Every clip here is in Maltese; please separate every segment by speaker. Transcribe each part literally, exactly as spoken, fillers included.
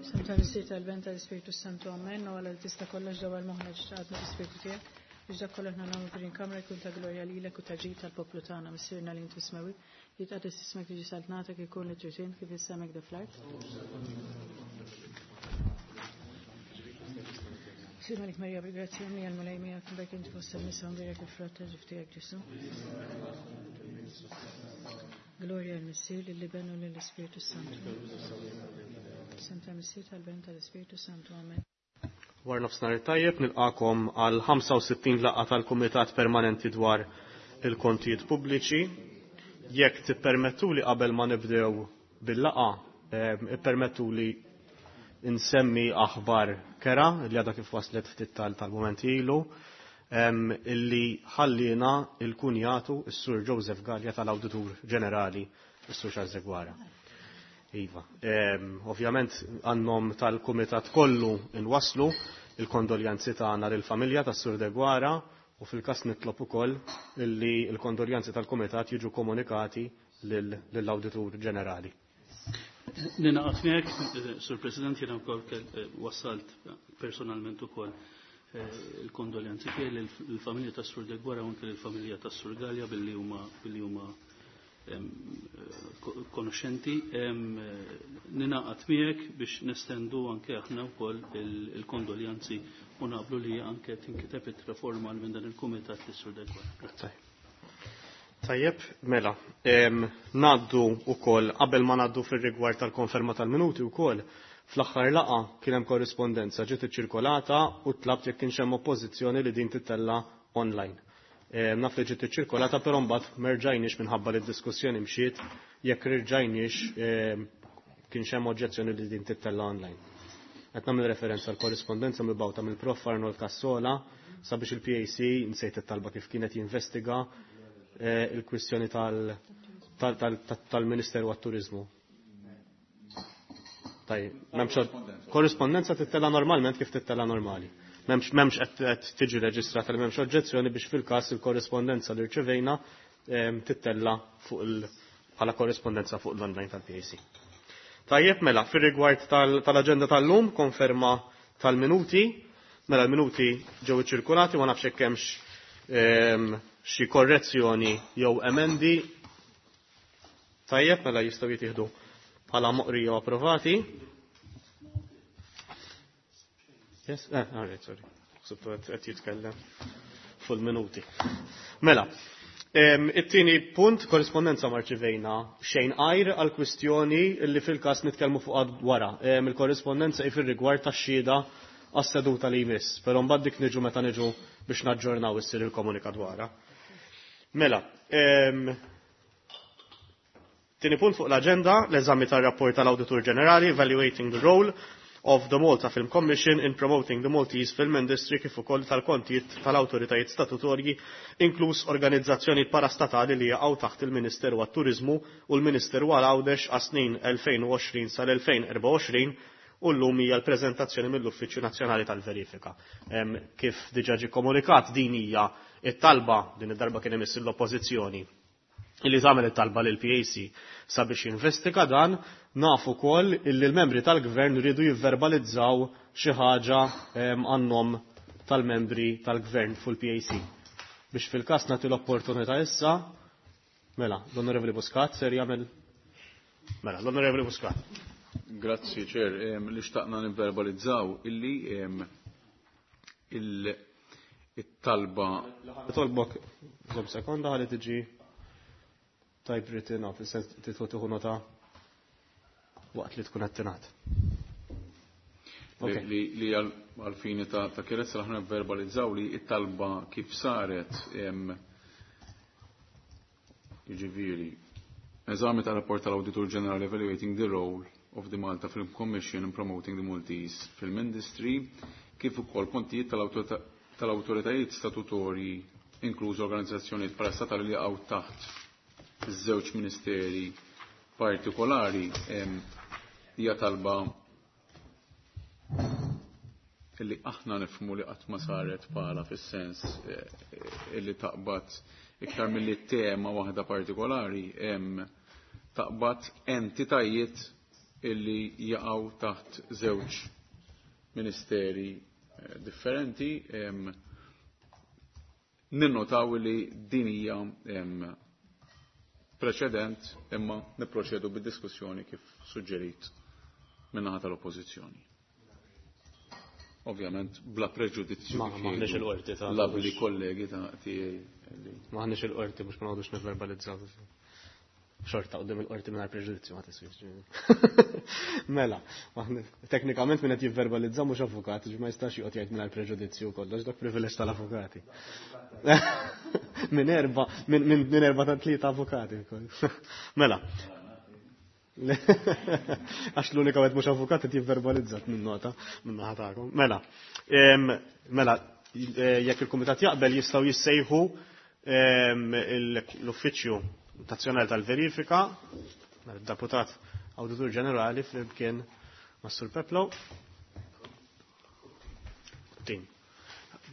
Speaker 1: Isem tal-Missier tal-Ben tal-Ispirtu Santu Amen, u għala li tista' kollox dawar moħħna ġtaqadna l-Ispirtu tiegħek biex dak kollu aħna nagħmlu f'din kamra jkun ta' glorja lilek u ta' ġid tal-poplu tagħna Missierna li inti smewwi, jitqaddes ismek tiġi saltnatek ikun li trid int kif is-semek da fl-art. Sir Malik Marija bil-grazzja mija l-Mulej miegħek mbagħad inti fost in-nisa mbierek il-frott ta' ġuf tiegħek Ġesu. Glorja l-Missier lill-Iben u lill-Ispirtu Santu. Isem tal-Missier tal-Ben tal-Ispirtu Santu. Amen.
Speaker 2: War nofsinhar tajjeb nilqakom għal ħamsa u sittin laqgħa tal-Kumitat Permanenti dwar il-Kontijiet Pubbliċi. Jekk tippermettuli qabel ma nibdew bil-laqgħa, ippermettuli nsemmi aħbar kera li għadha kif waslet ftit tal-mument ilu, illi ħallina il-kunjatu s-Sur Joseph Gallia tal-Awditur Ġenerali, s-Sur Charles Deguara. Iva, ovvjament għannom tal-Kumitat kollu nwasslu il-kondoljanzi tagħna lill-familja tas-Sur Deguara u fil-każ nitlob ukoll illi l-kondoljanzi tal-Kumitat jiġu komunikati lill-Awditur Ġenerali.
Speaker 3: Ninaqat miegħek, Sur President, jiena wkoll wassalt personalment ukoll il-kondoljanzi tiegħi lill-familja tas-Sur Deguara u anke lill-familja tas-Sur Gallia billi huma billi huma konoxxenti. Ninaqat miegħek biex nestendu anke aħna wkoll il-kondoljanzi u naqblu li anke tinkiteb ittra formal minn dan il-kumitat lis-Sur Deguara.
Speaker 2: Tajjeb, mela, ngħaddu wkoll qabel ma ngħaddu fir-rigward tal-konferma tal-minuti wkoll, fl-aħħar laqgħa kien hemm korrispondenza ġiet iċċirkolata u tlabt jekk kienx hemm oppożizzjoni li din titella online. Naf li ġiet iċċirkolata però mbagħad merġajniex minħabba li d-diskussjoni mxiet jekk irġajniex kienx hemm oġġezzjoni li din tittella online. Qed nagħmel referenza għall korrispondenza mibgħuta mill-Prof Arnold Cassola sabiex il-P A C nsejt it-talba kif kienet jinvestiga il-kwistjoni tal-Ministeru għat-Turizmu. Tajjeb, m'hemmx korrispondenza tittella normalment kif tittella normali. M'hemmx, m'hemmx qed tiġi reġistrata li m'hemmx oġġezzjoni biex fil-każ il-korrispondenza li rċevejna tittella fuq il bħala korrispondenza fuq l-online tal-P A C. Tajjeb, mela, fir-rigward tal-aġenda tal-lum, konferma tal-minuti, mela l-minuti ġew iċċirkulati, ma nafx hekk hemmx xi korrezzjoni jew emendi. Tajjeb, mela jistgħu jittieħdu bħala moqrija u approvati. Yes, eh, all right, sorry. Ħsibtu qed jitkellem fuq il-minuti. Mela, it-tieni punt, korrispondenza marċivejna xejn għajr għal kwistjoni li fil-każ nitkellmu fuq għad wara. Il-korrispondenza hi fir-rigward tax-xhieda għas-seduta li jmiss, però mbagħad dik niġu meta niġu biex naġġornaw issir il-komunikat wara. Mela, tieni punt fuq l-aġenda, l-eżami tar-rapport tal-Awditur Ġenerali Evaluating the Role of the Malta Film Commission in Promoting the Maltese Film Industry kif ukoll tal-kontijiet tal-awtoritajiet statutorji inkluż organizzazzjonijiet parastatali li jaqgħu taħt il-Ministeru għat-Turiżmu u l-Ministeru għal Għawdex għas-snin elfejn u għoxrin sal-elfejn u erbgħa u għoxrin u llum hija l-preżentazzjoni mill-Uffiċċju Nazzjonali tal-Verifika. Kif diġà ġie komunikat din hija it-talba, din id-darba kien imiss l-Oppożizzjoni illi tagħmel it-talba lil P A C sabiex jinvestiga dan, nafu wkoll illi l-membri tal-gvern rridu jivverbalizzaw xi ħaġa għan-nom tal-membri tal-gvern fuq il-P A C. Biex fil-każ nagħti l-opportunità issa, mela, l-Onorevoli Muscat ser jagħmel. Mela, l-Onorevoli Muscat.
Speaker 4: Grazzi, Ċer. Li xtaqna nivverbalizzaw illi il-talba.
Speaker 2: Tolbok, żomm sekonda ħalli tiġi typewritten off, fis-sens titħu tieħu nota waqt li tkun qed tingħad.
Speaker 4: Li, li, li għal-fini ta', ta' kerezza aħna verbalizzaw li it-talba kif saret, jiġifieri, eżami tal-rapport tal-Awditur Ġenerali Evaluating the Role of the Malta Film Commission in Promoting the Maltese Film Industry, kif ukoll kontijiet tal-awtoritajiet statutorji inkluż organizzazzjonijiet parastatali li jaqgħu taħt iż-żewġ ministeri partikolari, hija talba illi aħna nifhmu li qatt ma saret bħala fis-sens, eh, illi taqbad iktar milli tema waħda partikolari, taqbad entitajiet illi jaqgħu taħt żewġ ministeri differenti. Ninnotaw li din hija preċedent, imma nipproċedu bid-diskussjoni kif suġġerit min-naħa tal-Oppożizzjoni. Ovvjament bla preġudizzju.
Speaker 2: M'aħniex il-qorti ta'
Speaker 4: labli kollegi ta' tiegħi.
Speaker 2: M'aħniex il-qorti biex ma noqogħdux nivverbalizzaw. Xorta qudiem il-qorti mingħajr preġudizzju ma tiswix. Mela, teknikament min qed jivverbalizza mhux avukat, ma jistax joqgħod jgħid mingħajr preġudizzju kollox, dak privileġġ tal-avukati. Minn erba, minn erba ta' tlieta avukati. Mela. Għax l-unika wieħed mhux avukat qed jivverbalizzat minn nota minn naħa tagħkom. Mela, mela, jekk il-kumitat jaqbel jistgħu jissejħu l-Uffiċċju Nazzjonali tal-Verifika, deputat Awditur Ġenerali flimkien mas-Sur Peplo. Tim.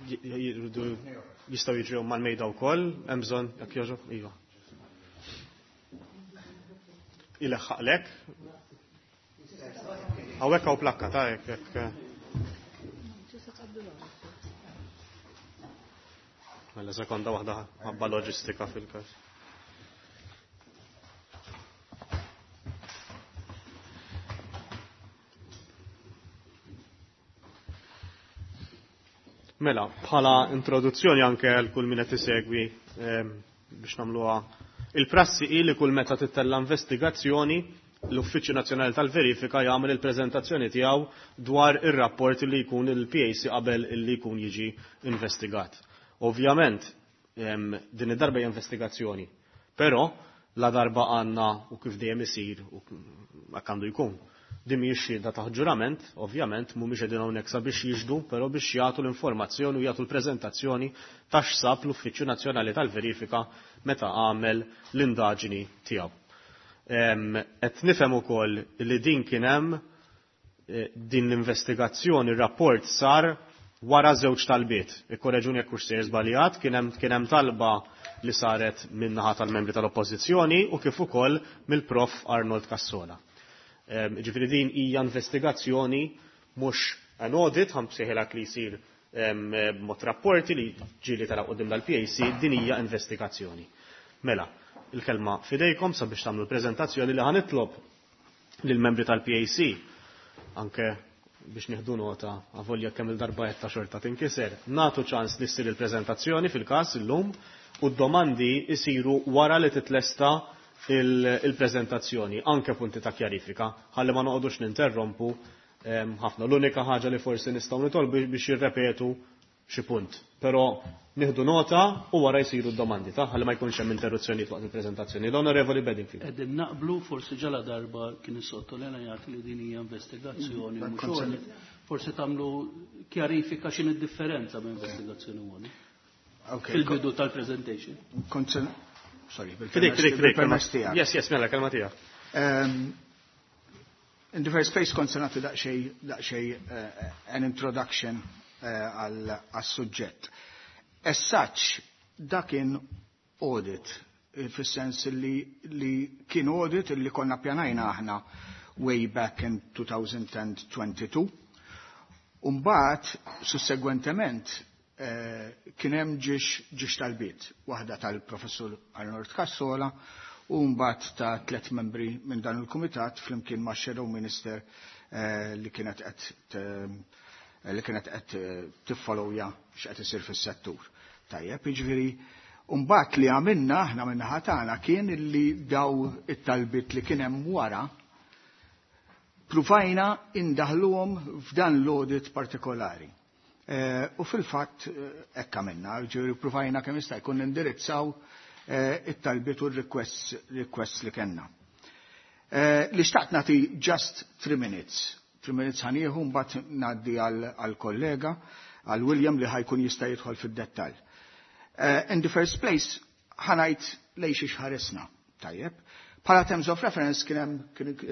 Speaker 2: Jistgħu jiġu mal-mejda wkoll, hemm bżonn jekk jogħġob, iva. Ileħħaqlek. Hawnhekk hawn plakka ta' jekk jekk. Mela sekonda waħda ħabba loġistika fil-każ. Mela, bħala introduzzjoni anke għal kull min qed isegwi biex nagħmluha. Il-prassi hi li kull meta tittella investigazzjoni l-Uffiċċju Nazzjonali tal-Verifika jagħmel il-preżentazzjoni tiegħu dwar ir-rapport li jkun il-P A C qabel li jkun jiġi investigat. Ovvjament, din id-darba hija investigazzjoni, però la darba għandna u kif dejjem isir u hekk għandu jkun. Din mhijiex xhieda ta' ġurament, ovvjament mhumiex qegħdin hawnhekk sabiex jiġdu, però biex jagħtu l-informazzjoni u jagħtu l-preżentazzjoni ta' x'sab l-Uffiċċju Nazzjonali tal-Verifika meta għamel l-indaġni tiegħu. Qed nifhem ukoll li din kien hemm din l-investigazzjoni, ir-rapport sar wara żewġ talbiet. Ikkoreġuni jekk hux sejjer żbaljat, kien hemm kien hemm talba li saret min-naħa tal-membri tal-Oppożizzjoni u kif ukoll mill-Prof Arnold Cassola. Ġifieri din hija investigazzjoni mhux an audit, ħa msejħilha li jsir b'mod rapporti li ġieli tara quddiem dal-P A C, din hija investigazzjoni. Mela, il-kelma fidejkom sabiex tagħmlu l-preżentazzjoni li ħanitlob lill-membri tal-P A C anke biex nieħdu nota avolja kemm il-darba qed ta' xorta tinkiser, nagħtu ċans li ssir il-preżentazzjoni fil-każ illum u d-domandi jsiru wara li titlesta il-preżentazzjoni, anke punti ta' kjarifika, ħalli ma noqogħdux ninterrompu ħafna. L-unika ħaġa li forsi nistgħu nitolbu biex jirrepetu xi punt. Però nieħdu nota u wara jsiru d-domandi ta' ħalli ma jkunx hemm interruzzjonijiet waqt il-preżentazzjoni. L-Onorevoli Bedingfield.
Speaker 3: Qegħdin naqblu forsi ġala darba kien issottolineat li din hija investigazzjoni mhux audit. Forsi tagħmlu kjarifika x'inhi d-differenza bejn investigazzjoni u audit. Fil-bidu tal-presentation.
Speaker 5: Sorry,
Speaker 2: Fidejk, fidejk, fidejk,
Speaker 5: bil-permess tiegħek.
Speaker 2: Yes, yes, mela, kelma tiegħek.
Speaker 5: In the first place kont se nagħti daqsxejn, daqsxejn an introduction għas-suġġett. As such, dak kien audit, fis-sens li, li kien audit li konna pjanajna aħna way back in two thousand twenty-two. Umbagħad, sussegwentement, kien hemm ġiex, ġiex talbiet, waħda tal-Professur Arnold Cassola u mbagħad ta' tliet membri minn dan il-kumitat flimkien ma' Shadow Minister li kienet qed li kienet qed tiffollowja x'qed isir fis-settur. Tajjeb, jiġifieri, mbagħad li għamilna aħna min-naħa tagħna kien li daw it-talbiet li kien hemm wara pruvajna indaħluhom f'dan l-audit partikolari. U fil-fatt hekk għamilna, ġifieri pruvajna kemm jista' jkun nindirizzaw it-talbiet u r-requests li kellna. Li xtaqt nagħti just three minutes. Three minutes ħanieħu mbagħad ngħaddi għall-kollega, għal William li ħajkun jista' jidħol fid-dettall. In the first place ħanajt lejn xi ħaresna, tajjeb. Bħala terms of reference kien hemm,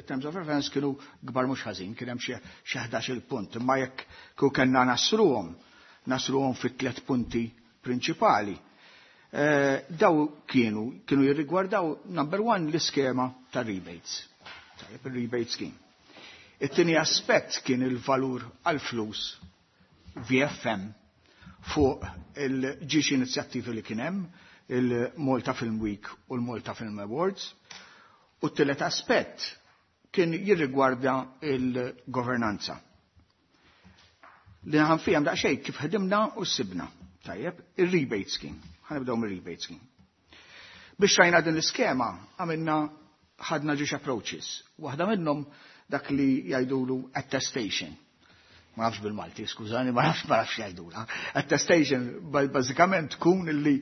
Speaker 5: terms of reference kienu kbar mhux ħażin, kien hemm xi ħdax-il punt, imma jekk kieku kellna nasruhom, nasruhom fit tliet punti prinċipali. Daw kienu, kienu jirrigwardaw number one l-iskema ta' rebates. Tajjeb, il-rebate scheme. It-tieni aspett kien il-valur għal-flus V F M fuq il-ġiex inizjattivi li kien hemm, il-Malta Film Week u l-Malta Film Awards. U t-tielet aspett kien jirrigwarda il-governanza. Li ħa nfiehem daqsxejn kif ħedimna u sibna. Tajjeb, il-rebate scheme. Ħa nibdew mir-rebate scheme. Biex rajna din l-iskema, għamilna ħadna ġiex approaches. Waħda minnhom dak li jgħidulu attestation. Ma nafx bil-Malti, skużani, ma nafx, ma nafx jgħidula. Attestation bażikament tkun illi,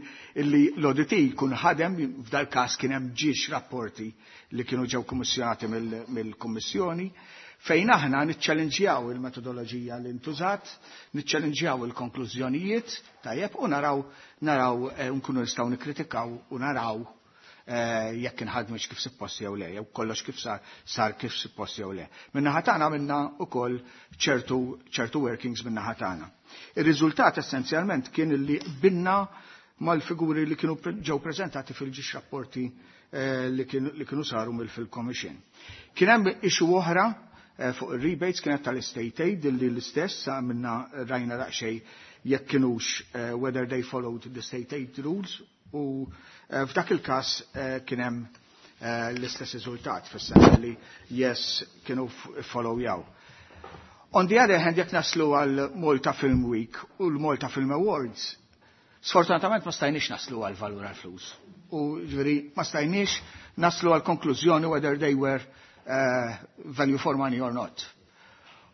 Speaker 5: illi l-auditee jkun ħadem, f'dal każ kien hemm ġiex rapporti li kienu ġew kummissjonati mill-Kummissjoni, fejn aħna niċċellinġjaw il-metodoloġija li ntużat, niċċellinġjaw il-konklużjonijiet, tajjeb, u naraw, naraw eh, nkunu nistgħu nikkritikaw u naraw eh, jekk inħadmux kif suppost jew le, jew kollox kif sar, sar kif suppost jew le. Min-naħa tagħna minna ukoll ċertu ċertu workings min-naħa tagħna. Ir-riżultat essenzjalment kien li binna mal-figuri li kienu ġew preżentati fil-ġiex rapporti eh, li kienu, li kienu saru mill-Film Commission. Kien hemm issue oħra eh, fuq il-rebates, kienet tal-state aid, li l-istess minna rajna daqsxejn jekk kienux eh, whether they followed the state aid rules, u eh, f'dak il-każ eh, kien hemm eh, l-istess riżultat, fis-sens li yes, kienu follow jaw. On the other hand, jekk naslu għal Malta Film Week u l-Malta Film Awards, sfortunatament ma stajniex naslu għal valur għal flus. U ġifieri ma stajniex naslu għal konklużjoni whether they were uh, value for money or not.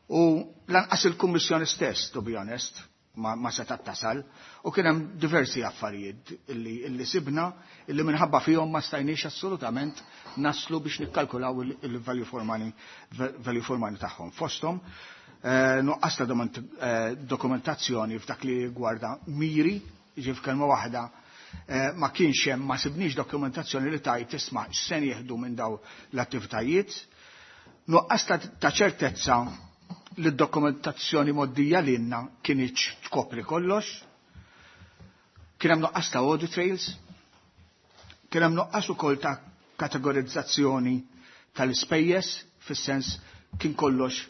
Speaker 5: U lanqas il-Kummissjoni stess, to be honest, ma, ma setat tasal, u kien hemm diversi affarijiet illi, illi sibna illi minħabba fihom ma stajniex assolutament naslu biex nikkalkulaw il-value for money, value for money tagħhom. Fosthom eh, nuqqas ta' eh, dokumentazzjoni f'dak li gwarda miri, ġif kelma waħda, eh, ma kienx hemm, ma sibniex dokumentazzjoni li tajt tisma' x'se jieħdu minn daw l-attivitajiet. Nuqqas ta' ċertezza li d-dokumentazzjoni mgħoddija lilna kinitx tkopri kollox. Kien hemm nuqqas ta' audit trails, kien hemm nuqqas ukoll ta' kategorizzazzjoni tal-ispejjeż, fis-sens kien kollox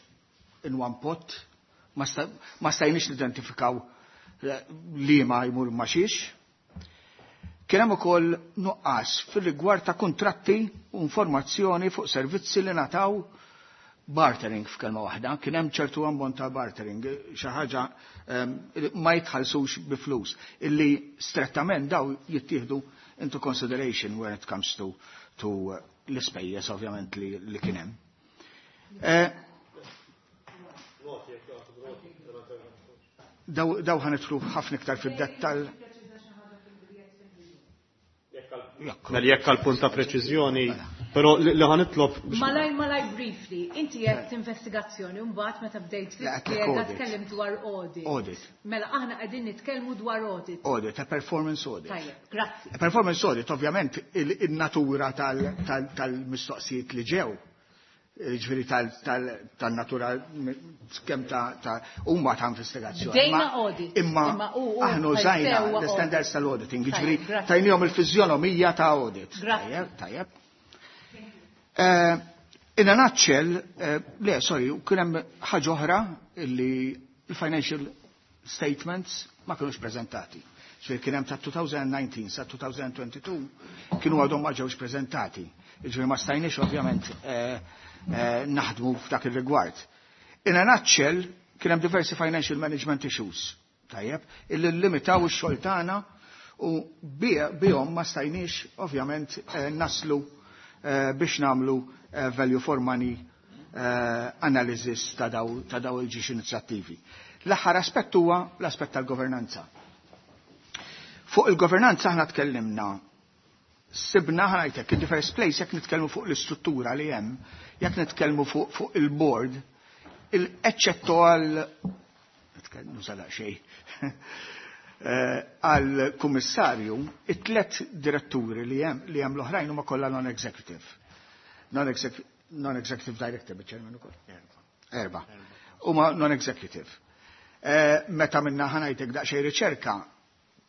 Speaker 5: in one pot, ma stajniex nidentifikaw eh, li ma jmur ma xiex. Kien hemm ukoll nuqqas fir-rigward ta' kuntratti u informazzjoni fuq servizzi li ngħataw, bartering f'kelma waħda, kien hemm ċertu ammont ta' bartering, xi ħaġa ehm, ma jitħallsux bi flus, illi strettament daw jittieħdu into consideration when it comes to, to uh, l-ispejjeż ovvjament li, li kien hemm. Eh, daw, daw ħa nidħlu ħafna iktar fid-dettall.
Speaker 2: Mela jekk għal punt ta' preċiżjoni, però li ħa nitlob.
Speaker 6: Malaj, malaj, briefly, inti qed investigazzjoni, mbagħad meta bdejt tispjega tkellim dwar audit.
Speaker 5: Audit.
Speaker 6: Mela aħna qegħdin nitkellmu dwar audit.
Speaker 5: Audit, a performance audit.
Speaker 6: Tajjeb, grazzi.
Speaker 5: A performance audit, ovvjament, il-natura tal-mistoqsijiet li ġew, ġifieri tal-natura kemm ta' huma ta' investigazzjoni.
Speaker 6: Bdejna audit.
Speaker 5: Imma aħna użajna l-standards tal-auditing, ġifieri tajnihom il-fiżjonomija ta' audit.
Speaker 6: Tajjeb,
Speaker 5: tajjeb. Eh, in a nutshell, eh, le, sorry, kien hemm ħaġa oħra illi il-financial statements ma kienux prezentati. Ġifieri kien hemm ta' elfejn u dsatax sa elfejn u tnejn u għoxrin kienu għadhom ma ġewx prezentati. Ġifieri ma stajniex ovvjament eh, naħdmu f'dak ir-rigward. In a nutshell, kien hemm diversi financial management issues, tajjeb, illi limitaw ix-xogħol tagħna u bihom ma stajniex ovvjament naslu Eh, biex nagħmlu eh, value for money eh, analysis ta' daw, ta' daw il-ġiex inizjattivi. L-aħħar aspett huwa l-aspett tal-governanza. Fuq il-governanza aħna tkellimna, sibna, ħa ngħidlek, in the first place, jekk nitkellmu fuq l-istruttura li hemm, jekk nitkellmu fuq, fuq il-board, il-eċċetto għal nużala xejn għal kummissarju, it-tlet diretturi li hemm li hemm l-oħrajn huma kollha non-executive. Non-executive director, bil-chairman ukoll. Erba. Huma non-executive. Eh, meta minna, ħa ngħidlek, daqsxejn riċerka,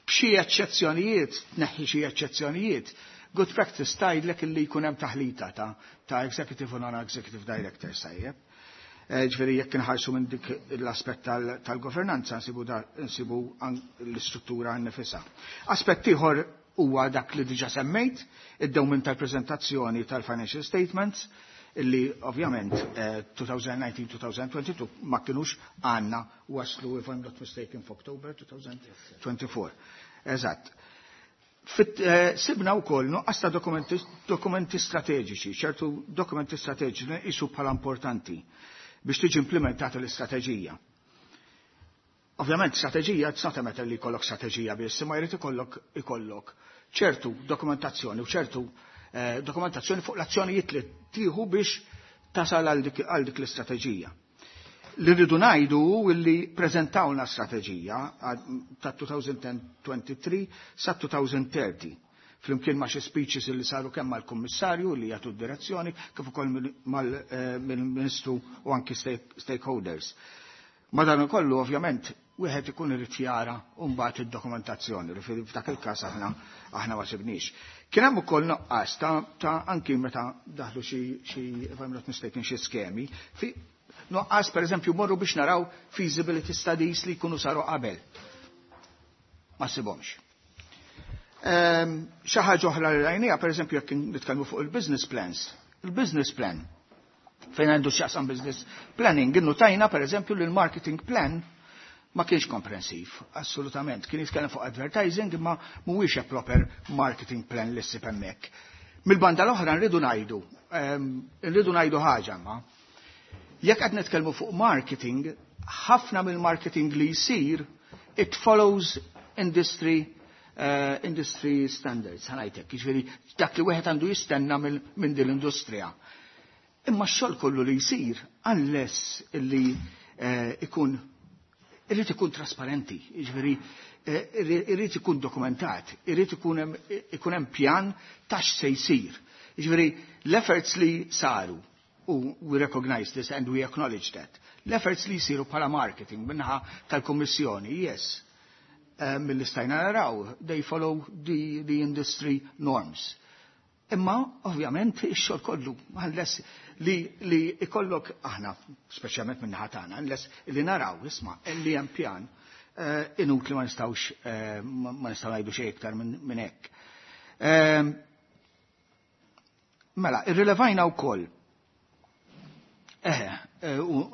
Speaker 5: b'xi eċċezzjonijiet, tneħħi xi eċċezzjonijiet, good practice tgħidlek illi jkun hemm taħlita ta' ta' executive u non-executive director, tajjeb. Ġifieri jekk inħarsu minn dik l-aspett tal-governanza nsibu nsibu l-istruttura nnifisha. Aspett ieħor huwa dak li diġà semmejt, id-dewmien tal-preżentazzjoni tal-financial statements, illi ovvjament twenty nineteen-twenty twenty-two ma kienux għanna, waslu, if I'm not mistaken, f'October twenty twenty-four. Eżatt. Sibna wkoll nuqqas ta' dokumenti, dokumenti strateġiċi, ċertu dokumenti strateġiċi li nqisu bħala importanti biex tiġi implementata l-istrateġija. Ovvjament, strateġija, it's not a matter li jkollok strateġija biss, imma jrid ikollok ikollok ċertu dokumentazzjoni u ċertu eh, dokumentazzjoni fuq l-azzjonijiet li tieħu biex tasal għal dik, għal dik l-istrateġija. Li rridu ngħidu li preżentawna strateġija ta' twenty twenty-three sa twenty thirty flimkien ma' xi speeches li saru kemm mal-Kummissarju li jagħtu d-direzzjoni kif ukoll mal-Ministru u anki stakeholders. Madan kollu, ovvjament, wieħed ikun irid jara mbagħad id-dokumentazzjoni li f'dak il-każ aħna aħna ma sibniex. Kien hemm ukoll nuqqas ta', ta anki meta daħlu xi xi if I'm not mistaken, xi skemi, fi nuqqas, pereżempju, morru biex naraw feasibility studies li jkunu saru qabel. Ma sibhomx. Ehm, xi ħaġa oħra li rajnija, pereżempju, jekk nitkellmu fuq il-business plans. Il-business plan fejn għandu x'jaqsam business planning, innutajna pereżempju li l-marketing plan ma kienx komprensiv, assolutament. Kien jitkellem fuq advertising, imma mhuwiex a proper marketing plan li ssib hemmhekk. Mill-banda l-oħra nridu ngħidu, ehm, nridu ngħidu ħaġa ma. Jekk qed nitkellmu fuq marketing, ħafna mill-marketing li jsir, it follows industry uh, industry standards, ħa ngħidlek, jiġifieri dak li wieħed għandu jistenna minn din l-industrija. Imma x-xogħol kollu li jsir, unless li uh, ikun irrid ikun trasparenti, jiġifieri eh, irrid ikun dokumentat, irrid ikun hemm pjan ta' x'se jsir. Jiġifieri l-efforts li saru, u we recognize this and we acknowledge that, l-efforts li jsiru bħala marketing min-naħa tal-Kommissjoni, yes, uh, mill-istajna naraw, they follow the, the industry norms. Imma, ovvjament, ix-xogħol kollu, unless li, li ikollok aħna, speċjalment minn tagħna, unless li naraw, isma' li hemm pjan, uh, inutli ma nistgħux uh, ma nistgħu ngħidu xejn iktar minn min hekk. Uh, mela, irrilevajna wkoll. Eħe,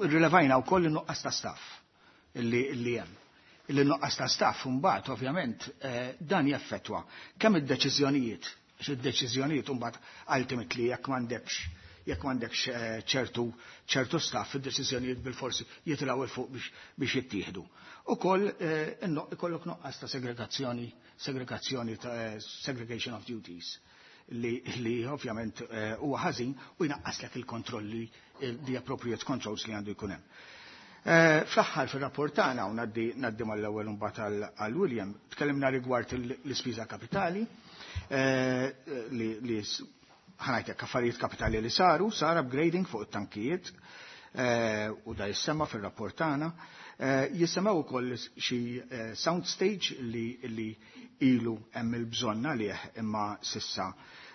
Speaker 5: irrilevajna wkoll in-nuqqas ta' staff illi, illi hemm. Illi nuqqas ta' staff mbagħad ovvjament dan jaffettwa kemm id-deċiżjonijiet, id-deċiżjonijiet mbagħad ultimately jekk m'għandekx jekk m'għandekx eh, ċertu ċertu staff, id-deċiżjonijiet bil-forsi jitilgħu 'il fuq biex, biex jittieħdu. Ukoll eh, ikollok nuqqas ta' segregazzjoni segregazzjoni ta' eh, segregation of duties li, li ovvjament huwa ħażin u jnaqqaslek il-kontrolli, the appropriate controls li għandu jkun hemm. Fl-aħħar fir-rapport tagħna, u ngħaddi mal-ewwel imbagħad għal William, tkellimna rigward l-ispiża kapitali li, li ħa ngħidlek affarijiet kapitali li saru, sar upgrading fuq it-tankijiet eh, u da jissemma fil-rapport tagħna. Eh, jissemmaw ukoll xi eh, sound stage li, li ilu hemm il-bżonn għalih imma s'issa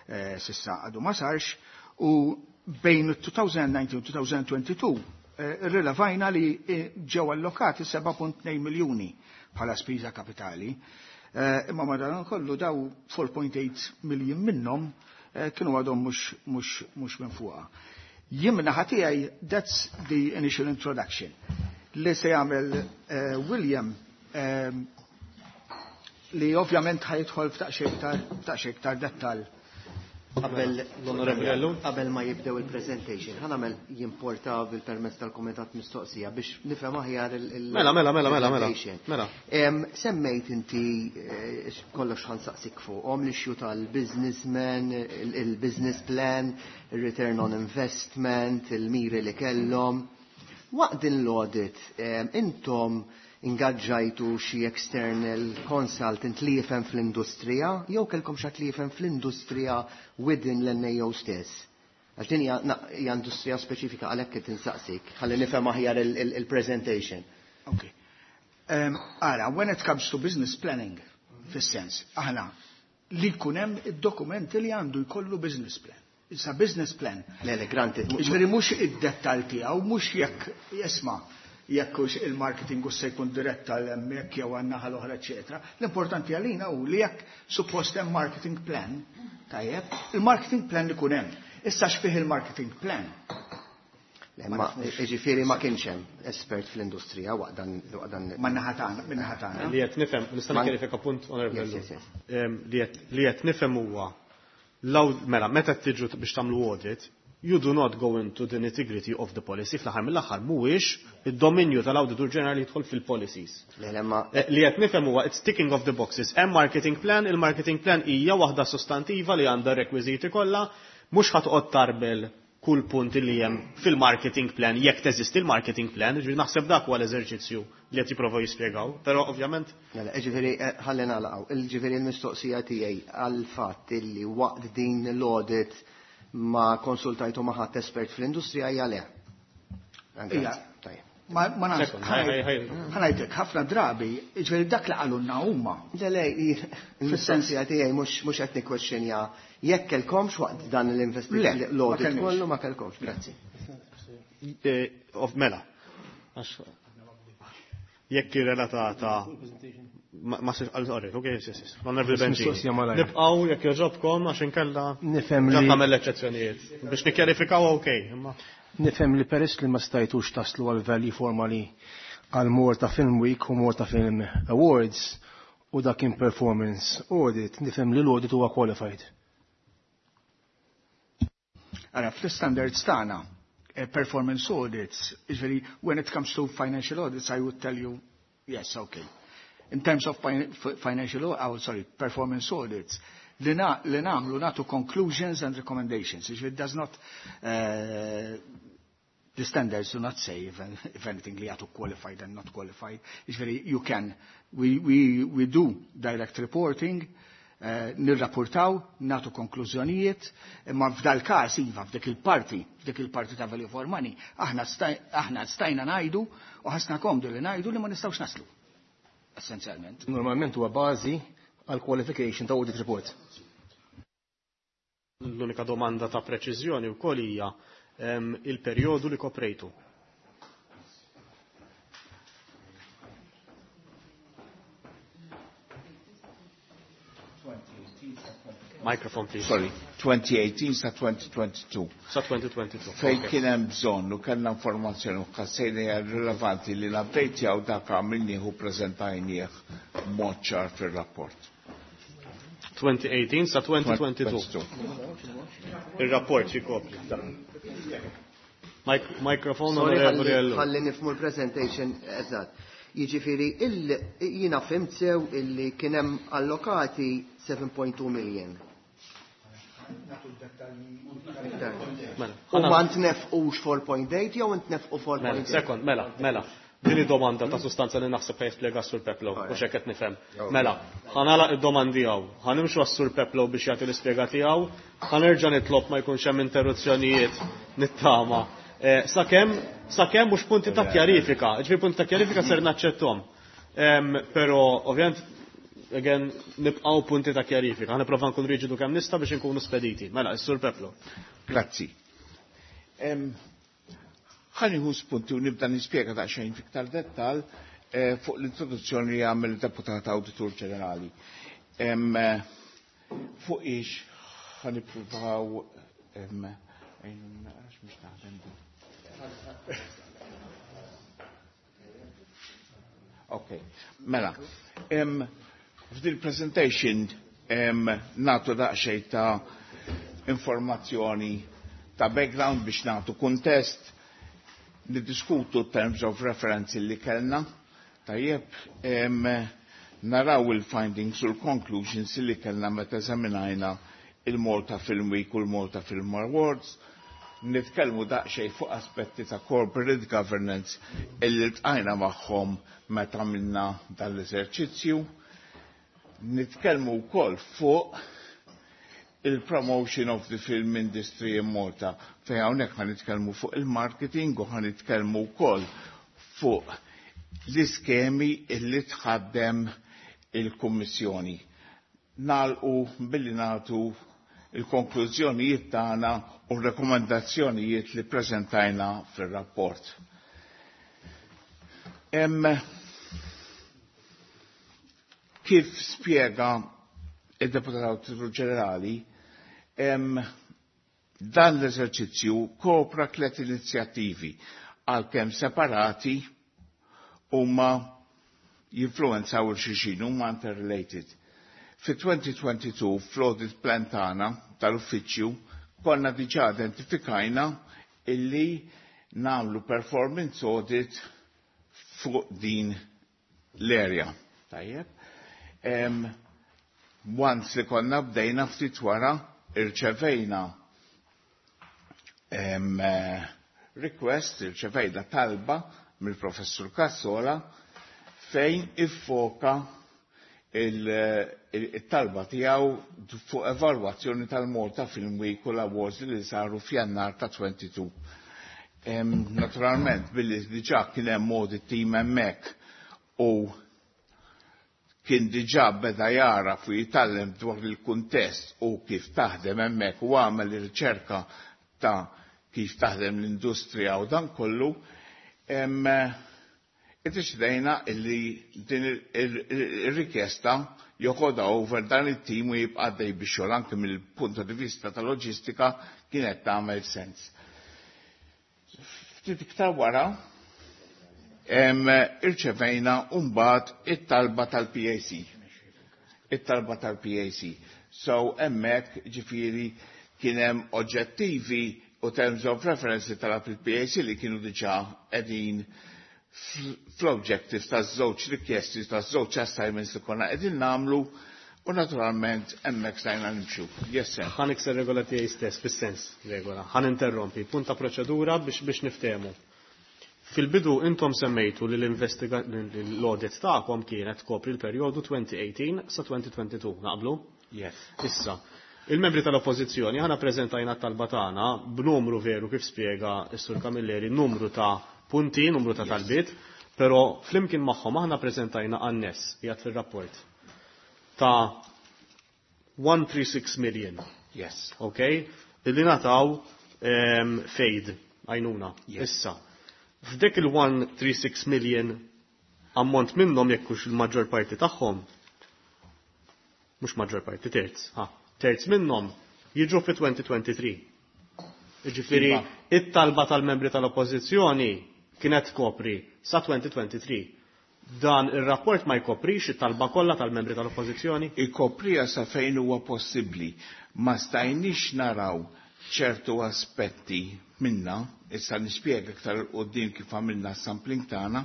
Speaker 5: s'issa għadu ma sarx, u bejn twenty nineteen u twenty twenty-two rilevajna li ġew allokati seba punt tnejn miljuni bħala spiża kapitali. Imma madan kollu daw four point eight miljun minnhom Eh, kienu għadhom mhux minn fuqha. Jien min-naħa tiegħi, that's the initial introduction. Li se jagħmel eh, William, eh, li ovvjament ħa jidħol f'daqsxejn iktar dettal.
Speaker 7: Qabel qabel ma jibdew il-presentation, ħa nagħmel jimporta bil-permess tal-kumitat mistoqsija biex nifhem aħjar il-
Speaker 2: Mela, mela, mela, mela, mela. Mela.
Speaker 7: Semmejt inti eh, kollox ħa nsaqsik fuqhom l-issue tal-businessman, il-business plan, il-return on investment, il-miri li kellhom. Waqt din l-audit, intom ingaġġajtu xi external consultant li jifhem fl-industrija jew kellkom xi li jifhem fl-industrija within l-N A O stess? Għax din hija industrija speċifika, għalhekk qed insaqsik, ħalli nifhem aħjar il-presentation.
Speaker 5: Okay. Um, ara, when it comes to business planning, fis-sens, aħna li jkun hemm id-dokumenti li għandu jkollu business plan. It's a business plan.
Speaker 7: Le, le, granted.
Speaker 5: Ġifieri mhux id-dettall tiegħu, mhux jekk isma' jekk hux il-marketing u se jkun dirett għal hemmhekk jew għan-naħa l-oħra, eċetera. L-importanti għalina hu li jekk suppost hemm marketing plan, tajjeb, il-marketing plan ikun hemm. Issa x'fih il-marketing plan?
Speaker 7: Le, ma ġifieri ma kienx hemm espert fl-industrija waqt dan waqt dan.
Speaker 5: Man-naħa tagħna, min-naħa tagħna.
Speaker 2: Li qed nifhem, nista' nikkjarifika punt, Honorable.
Speaker 7: Yes, yes, yes.
Speaker 2: Em, Li qed li qed nifhem huwa law mela meta tiġu biex tagħmlu audit, you do not go into the nitty-gritty of the policy. Fl-aħħar mill-aħħar mhuwiex id-dominju tal-Awditur Ġenerali jidħol fil-policies.
Speaker 7: Le, le, ma
Speaker 2: Eh, Li qed nifhem huwa it's ticking of the boxes. Hemm marketing plan, il-marketing plan hija waħda sostantiva li għandha rekwiżiti kollha, mhux ħa toqgħod tarbel kull punt li hemm fil-marketing plan, jekk teżisti il-marketing plan, ġifieri naħseb dak huwa l-eżerċizzju li qed jipprovaw jispjegaw, però ovvjament
Speaker 7: Le, le, ġifieri, eh, ħalli nagħlaqgħu. Il-ġifieri l-mistoqsija tiegħi għal fatt illi waqt din l-audit ma konsultajtu ma ħadd espert fl-industrija hija le.
Speaker 5: Ija.
Speaker 7: Tajjeb.
Speaker 5: Ma ma nafx,
Speaker 2: Second, ħaj, ħaj, ħaj.
Speaker 5: ħa ngħidlek, ħafna drabi, ġifieri dak li qalulna huma.
Speaker 7: Le, le, il-mistoqsija tiegħi mhux mhux qed nikkwestjonja jekk kellkomx waqt dan
Speaker 5: Le,
Speaker 7: l-investigazzjoni
Speaker 5: ma
Speaker 7: l-audit
Speaker 5: kellniex.
Speaker 7: kollu ma kellkomx. Grazzi.
Speaker 2: eh, of mela. Għax jekk relatata ma ma sir sorry, okay, yes, yes, yes. Honorable Benġi.
Speaker 8: Mistoqsija malajr.
Speaker 2: Nibqgħu jekk jogħġobkom għax inkella
Speaker 8: Nifhem
Speaker 2: ġa
Speaker 8: li
Speaker 2: tagħmel eċċezzjonijiet biex nikkjarifikaw okay, imma
Speaker 8: nifhem li peress li ma stajtux taslu għal value for money għal Malta Film Week u Malta Film Awards u dak kien performance audit, nifhem li l-audit huwa qualified.
Speaker 5: Ara, fl-standards tagħna, eh, performance audits, ġifieri, when it comes to financial audits, I would tell you, yes, okay. In terms of fin financial, oh, sorry, performance audits, li, na, li nagħmlu nagħtu conclusions and recommendations. Ġifieri, it does not, uh, the standards do not say if, if anything li għatu qualified and not qualified. Ġifieri, you can, we, we, we do direct reporting, eh, nirrapportaw, nagħtu konklużjonijiet, imma f'dal każ iva f'dik il-parti, f'dik il-parti ta' value for money, aħna staj, aħna stajna ngħidu u ħassna komdu li ngħidu li ma nistgħux naslu. Essenzjalment.
Speaker 8: Normalment huwa bażi għal qualification ta' audit report.
Speaker 2: L-unika domanda ta' preċiżjoni wkoll hija em, il-perjodu li koprejtu. Microphone, please.
Speaker 9: Sorry, twenty eighteen sa twenty twenty-two.
Speaker 2: Sa twenty twenty-two.
Speaker 9: Fejn
Speaker 2: Okay.
Speaker 9: kien hemm bżonn u kellna informazzjoni u ħassejna hija rilevanti li l-update dak għamilnieh u preżentajnieh b'mod ċar fir-rapport.
Speaker 2: twenty eighteen sa twenty twenty-two. Il-rapport jikopri. Mic- Microphone,
Speaker 7: Sorry,
Speaker 2: Onorevoli
Speaker 7: ħalli
Speaker 2: Ellul.
Speaker 7: ħalli nifhmu l-presentation eżatt. Jiġifieri il jiena fhimt sew illi kien hemm allokati seven point two million.
Speaker 2: Mela,
Speaker 7: U ma ntnefqux four point eight jew ntnefqu
Speaker 2: Mela,
Speaker 7: four point eight?
Speaker 2: Second, mela, mela. Din id-domanda ta' sustanza li naħseb jispjega Sur Peplow, u xek qed nifhem. Mela, ħa nagħlaq id-domandi tiegħu, ħa nimxu għas-Sur Peplow biex jagħti l-ispjega tiegħu, ħa nerġa' nitlob ma jkunx hemm interruzzjonijiet nittama. Eh, Sakemm sakemm mhux punti ta' kjarifika, ġifieri punti ta' kjarifika ser naċċettom. Em, Però ovvjament again nibqgħu punti ta' kjarifika, ħa nipprova nkun riġidu kemm nista' biex inkunu spediti. Mela, is-Sur Peplow.
Speaker 9: Grazzi. Em, Ħa nieħu spunti u nibda nispjega daqsxejn fiktar dettal eh, fuq l-introduzzjoni li għamel il-Deputat Awditur Ġenerali. Em, eh, Fuq ix ħa nippruvaw em, ejn, għax mhux naħdem din. Ok, mela, em, f'dil presentation em, nagħtu daqsxejn ta' informazzjoni ta' background biex nagħtu kuntest, niddiskutu terms of reference li kellna, tajjeb, em, naraw il-findings u l-conclusions li kellna meta eżaminajna il-Malta Film Week u l-Malta Film Awards, nitkellmu daqsxejn fuq aspetti ta' corporate governance illi ltqajna magħhom meta għamilna dan l-eżerċizzju, nitkellmu wkoll fuq il-promotion of the film industry in Malta, fejn hawnhekk ħa nitkellmu fuq il-marketing u ħa nitkellmu wkoll fuq l-iskemi illi tħaddem il-Kummissjoni. Nagħlqu billi nagħtu il-konklużjonijiet tagħna u r-rekomendazzjonijiet li preżentajna fir-rapport. Hemm kif spjega il-Deputat Awditur Ġenerali, hemm dan l-eżerċizzju kopra tliet inizjattivi għalkemm separati huma jinfluwenzaw il-xulxin, huma interrelated. Fi twenty twenty-two fl-audit plan tagħna tal-uffiċċju konna diġà identifikajna illi nagħmlu performance audit fuq din l-area. Tajjeb. Um, once li konna bdejna, ftit wara irċevejna um, request, irċevejna talba mill-professur Cassola fejn iffoka il-talba tiegħu fuq evalwazzjoni tal-Malta Film Week u l-awards li saru f'Jannar ta' twenty-two. Naturalment, billi diġà kien hemm audit team hemmhekk u kien diġà beda jara fu jitgħallem dwar il-kuntest u kif taħdem hemmhekk u għamel ir-riċerka ta' kif taħdem l-industrija u dan kollu, iddeċidejna illi din ir-rikjesta joħodha over dan it-tim u jibqa' għaddej bix-xogħol, anke mill-punt di vista ta' loġistika kienet tagħmel sens. Ftit iktar wara irċevejna mbagħad it-talba tal-P A C. It-talba tal-P A C. So hemmhekk ġifieri kien hemm oġġettivi u terms of reference tal-P A C li kienu diġà qegħdin fl-objectives taż-żewġ rikjesti, taż-żewġ assignments li konna qegħdin nagħmlu u naturalment hemmhekk stajna nimxu. Yes, sir.
Speaker 2: Ħa nikser regola tiegħi stess, fis-sens regola. Ħa ninterrompi. Punta proċedura biex biex niftehmu. Fil-bidu intom semmejtu li l-audit tagħkom kienet kopri l-perjodu twenty eighteen sa twenty twenty-two, naqblu?
Speaker 9: Yes.
Speaker 2: Issa, il-membri tal-Oppożizzjoni ħana preżentajna t-talba tagħna b'numru veru, kif spjega s-Sur Camilleri, numru ta' punti, numru ta' talbiet, però flimkien magħhom aħna preżentajna annes qiegħed fir-rapport ta' one hundred thirty-six million.
Speaker 9: Yes.
Speaker 2: Ok? Illi ngħataw um, f'aid, għajnuna.
Speaker 9: Yes.
Speaker 2: Issa, f'dek il-one hundred thirty-six million, ammont minnhom, jekk hux il-maġġor parti tagħhom, mhux maġġor parti, terz, ha, terz minnhom jiġu fi twenty twenty-three. Jiġifieri
Speaker 9: Iva.
Speaker 2: it-talba tal-membri tal-Oppożizzjoni kienet kopri sa twenty twenty-three. Dan ir-rapport ma jkoprix it-talba kollha tal-membri tal-Oppożizzjoni?
Speaker 9: Ikoprija sa fejn huwa possibbli. Ma stajniex naraw ċertu aspetti minna, issa nispjega iktar 'il quddiem kif għamilna sampling tagħna,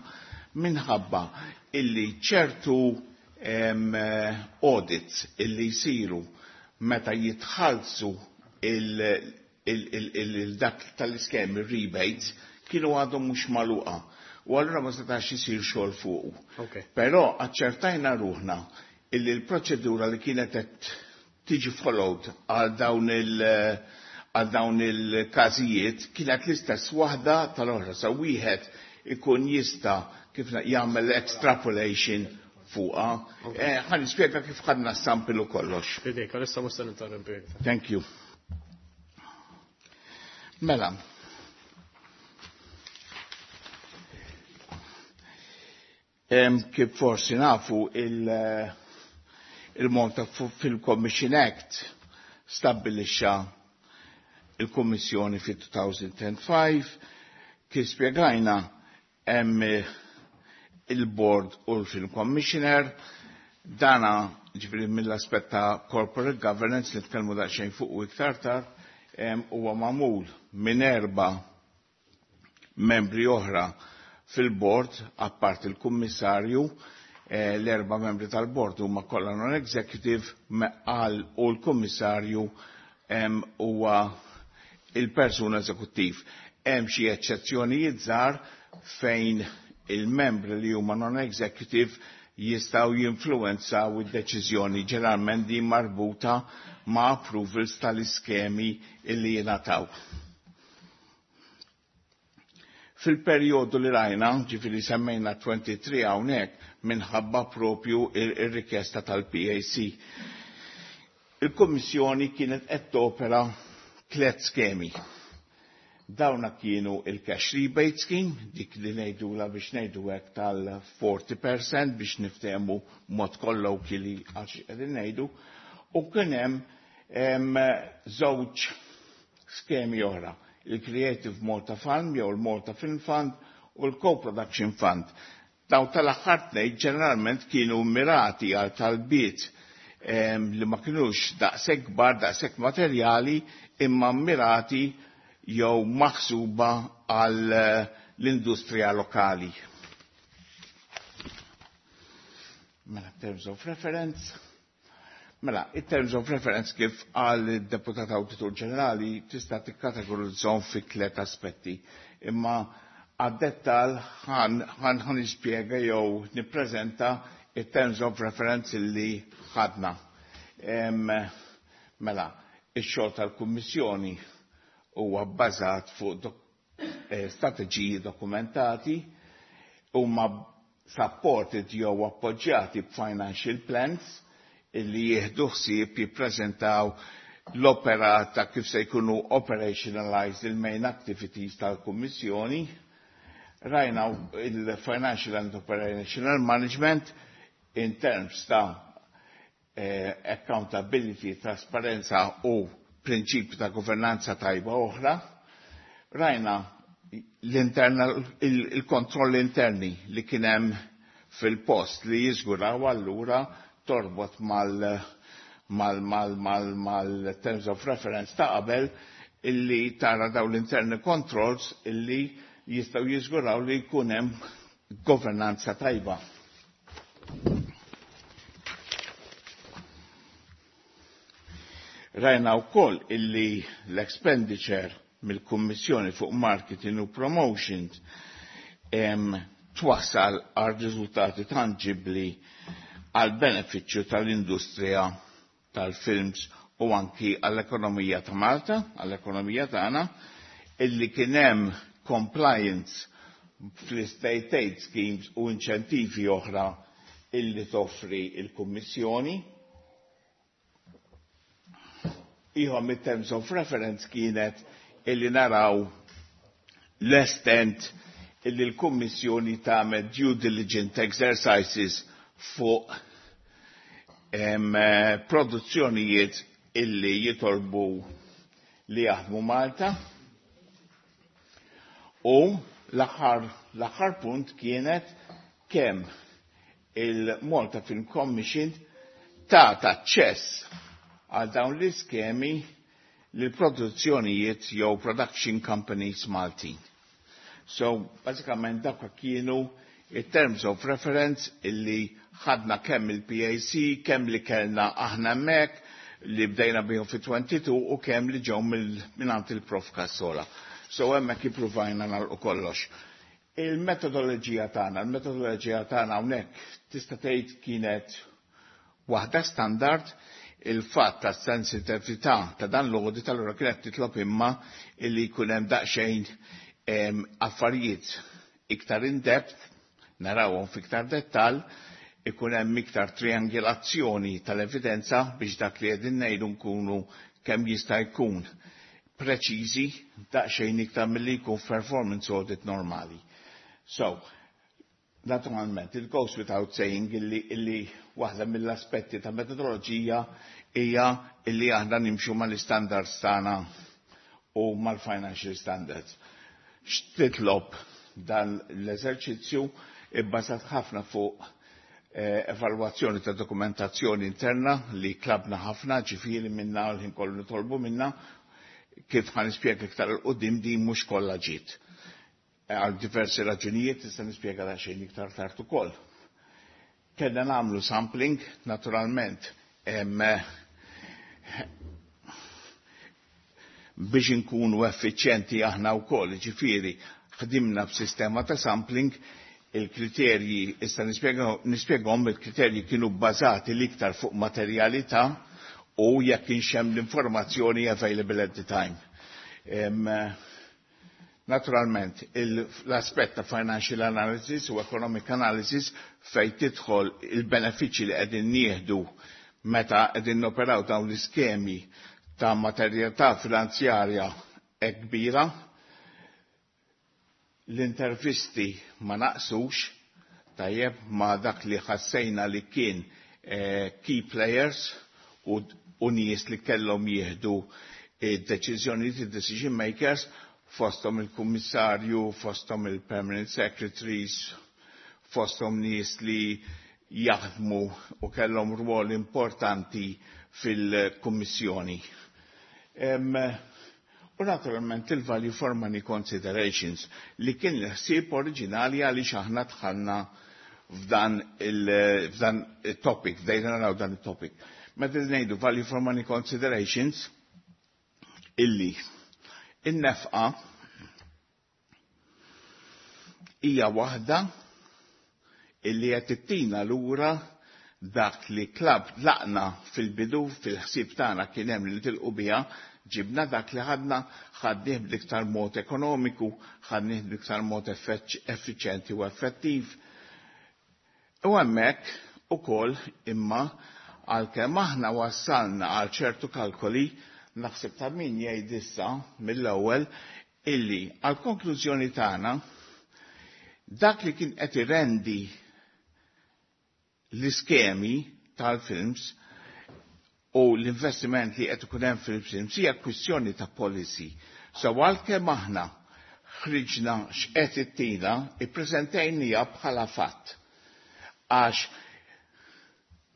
Speaker 9: minħabba illi ċertu em, eh, audits illi jsiru meta jitħallsu il-dak tal-iskemi rebates kienu għadhom mhux magħluqa. U allura ma setax isir xogħol fuqu.
Speaker 2: Okay.
Speaker 9: Però aċċertajna ruħna illi l-proċedura li kienet qed tiġi followed għal dawn il- għal dawn il-każijiet kienet l-istess waħda tal-oħra, sa wieħed ikun jista' kif jagħmel extrapolation fuqha. Eh, Ħa nispjega kif ħadna sample u kollox.
Speaker 2: Fidejk, għalissa mhux se ninterrompi iktar.
Speaker 9: Thank you. Mela. Em, kif forsi nafu, il- il-Malta Film Commission Act stabbilixxa il-Kummissjoni fi two thousand five. Kif spjegajna, hemm il-Board u l-Film Commissioner. Dana ġifieri mill-aspett ta' corporate governance li tkellmu daqsxejn fuq u iktar tard, huwa magħmul minn erba' membri oħra fil-board, apart il-kummissarju. eh, l-erba' membri tal-board huma kollha non-executive għal u l-kummissarju huwa il-persuna eżekuttiv. Hemm xi eċċezzjonijiet żgħar fejn il-membri li huma non-executive jistgħu jinfluwenzaw id-deċiżjoni, ġeneralment din marbuta ma' approvals tal-iskemi illi jingħataw. Fil-perjodu li rajna, ġifieri semmejna twenty-three hawnhekk minħabba propju ir-rikjesta tal-P A C. Il-Kummissjoni kienet qed topera tliet skemi. Dawna kienu il-cash rebate scheme, dik li ngħidula biex ngħidu hekk tal-forty percent biex niftehmu mod colloquially għal xi qegħdin ngħidu, u kien hemm żewġ skemi oħra, il-Creative Malta Fund jew il-Malta Film Fund u l-Co-Production Fund. Daw tal-aħħar tnejn ġeneralment kienu mirati għal talbiet li ma kienux daqshekk kbar, daqshekk materjali, imma mirati jew maħsuba għal eh, l-industrija lokali. Mela, terms of reference. Mela, in terms of reference, kif għal deputat Awditur Ġenerali, tista' tikkategorizzahom fi tliet aspetti. Imma għad-dettal ħan ħan nispjega jew nippreżenta il-terms of reference li ħadna. Mela, ix-xogħol tal-Kummissjoni huwa bbażat fuq dok eh, strateġiji dokumentati, huma supported jew appoġġjati b'financial plans illi jieħdu ħsieb jippreżentaw l-opera ta' kif se jkunu operationalized il-main activities tal-Kummissjoni. Rajna il-financial and operational management in terms ta' eh, accountability, trasparenza u prinċipi ta' governanza tajba oħra. Rajna il-kontroll interni li kienem fil-post li jiżguraw allura torbot mal mal mal mal mal terms of reference ta' qabel, illi tara daw l-internal controls illi jistaw jiżguraw li jkun hemm governanza tajba. Rajna wkoll illi l-expenditure mill-Kummissjoni fuq marketing u promotion twassal għal riżultati tangibli għal benefiċċju tal-industrija tal-films u anki għall-ekonomija ta' Malta, għall-ekonomija tagħna, illi kien hemm compliance fl-state aid schemes u inċentivi oħra illi toffri il-Kummissjoni. Ieħor mit-terms of reference kienet illi naraw l-estent illi l-Kummissjoni tagħmel due diligent exercises fuq em, produzzjonijiet illi jitolbu li jaħdmu Malta. U l-aħħar l-aħħar punt kienet kemm il-Malta Film Commission ta' aċċess għal dawn l-iskemi lil produzzjonijiet jew production companies Maltin. So, bażikament dak kienu il-terms of reference illi ħadna kemm il-P A C, kemm li kellna aħna hemmhekk li bdejna bihom fi tnejn u għoxrin u kemm li ġew minn il-Prof Cassola. So hemmhekk ippruvajna nagħlqu kollox. Il-metodoloġija tagħna, il-metodoloġija tagħna hawnhekk tista' tgħid kienet waħda standard. Il-fatt ta' sensitività ta' dan l-audit allura kienet titlob imma illi jkun hemm daqsxejn affarijiet iktar in depth, narawhom fiktar dettal, ikun hemm iktar triangolazzjoni tal-evidenza biex dak li qegħdin ngħidu nkunu kemm jista' jkun preċiżi daqsxejn iktar milli jkun performance audit normali. So, naturalment, it goes without saying illi, illi waħda mill-aspetti ta' metodoloġija hija illi aħna nimxu mal-standards tagħna u mal-financial standards. X'titlob dan l-eżerċizzju? Ibbażat ħafna fuq eh, evalwazzjoni ta' dokumentazzjoni interna li tlabna ħafna, ġifieri minna l-ħin kollu nitolbu minna, kif ħa nispjega iktar 'il quddiem din mhux kollha ġiet. Eh, għal diversi raġunijiet, tista' nispjega xejn iktar tard ukoll. Kellna nagħmlu sampling, naturalment, em, biex inkunu effiċjenti aħna wkoll, ġifieri ħdimna b'sistema ta' sampling. Il-kriterji, issa nispjegahom, il-kriterji kienu bbażati l-iktar fuq materjalità u jekk kienx hemm l-informazzjoni available at the time. Em, Naturalment, l-aspett ta' financial analysis u economic analysis fejn tidħol il-benefiċċji li qegħdin nieħdu meta qegħdin noperaw dawn l-iskemi ta' materjalità finanzjarja hekk kbira, l-intervisti ma naqsux, tajjeb, ma dak li ħassejna li kien eh, key players u, u nies li kellhom jieħdu id-deċiżjonijiet, id-decision makers, fosthom il-kummissarju, fosthom il-permanent secretaries, fosthom nies li jaħdmu u kellhom rwol importanti fil-kummissjoni. Em, U naturalment il-value for money considerations li kien l-ħsieb oriġinali għaliex aħna dħalna f'dan il-f'dan il-topic, bdejna naraw dan il-topic. Meta ngħidu value for money considerations, illi in-nefqa hija waħda illi qed ittina lura dak li klab laqna fil-bidu fil-ħsieb tagħna kien hemm li tilqu biha, ġibna dak li ħadna, ħadnih b'iktar mod ekonomiku, ħadnih b'iktar mod effiċjenti u effettiv. U hemmhekk ukoll imma għalkemm aħna wassalna għal ċertu kalkoli, naħseb ta' min jgħid issa mill-ewwel illi għal konklużjoni tagħna dak li kien qed irendi l-iskemi tal-films u l-investiment li qed ikun hemm fil-films hija kwistjoni ta' policy. So għalkemm aħna ħriġna x'qed ittina, ippreżentejnija bħala fatt. Għax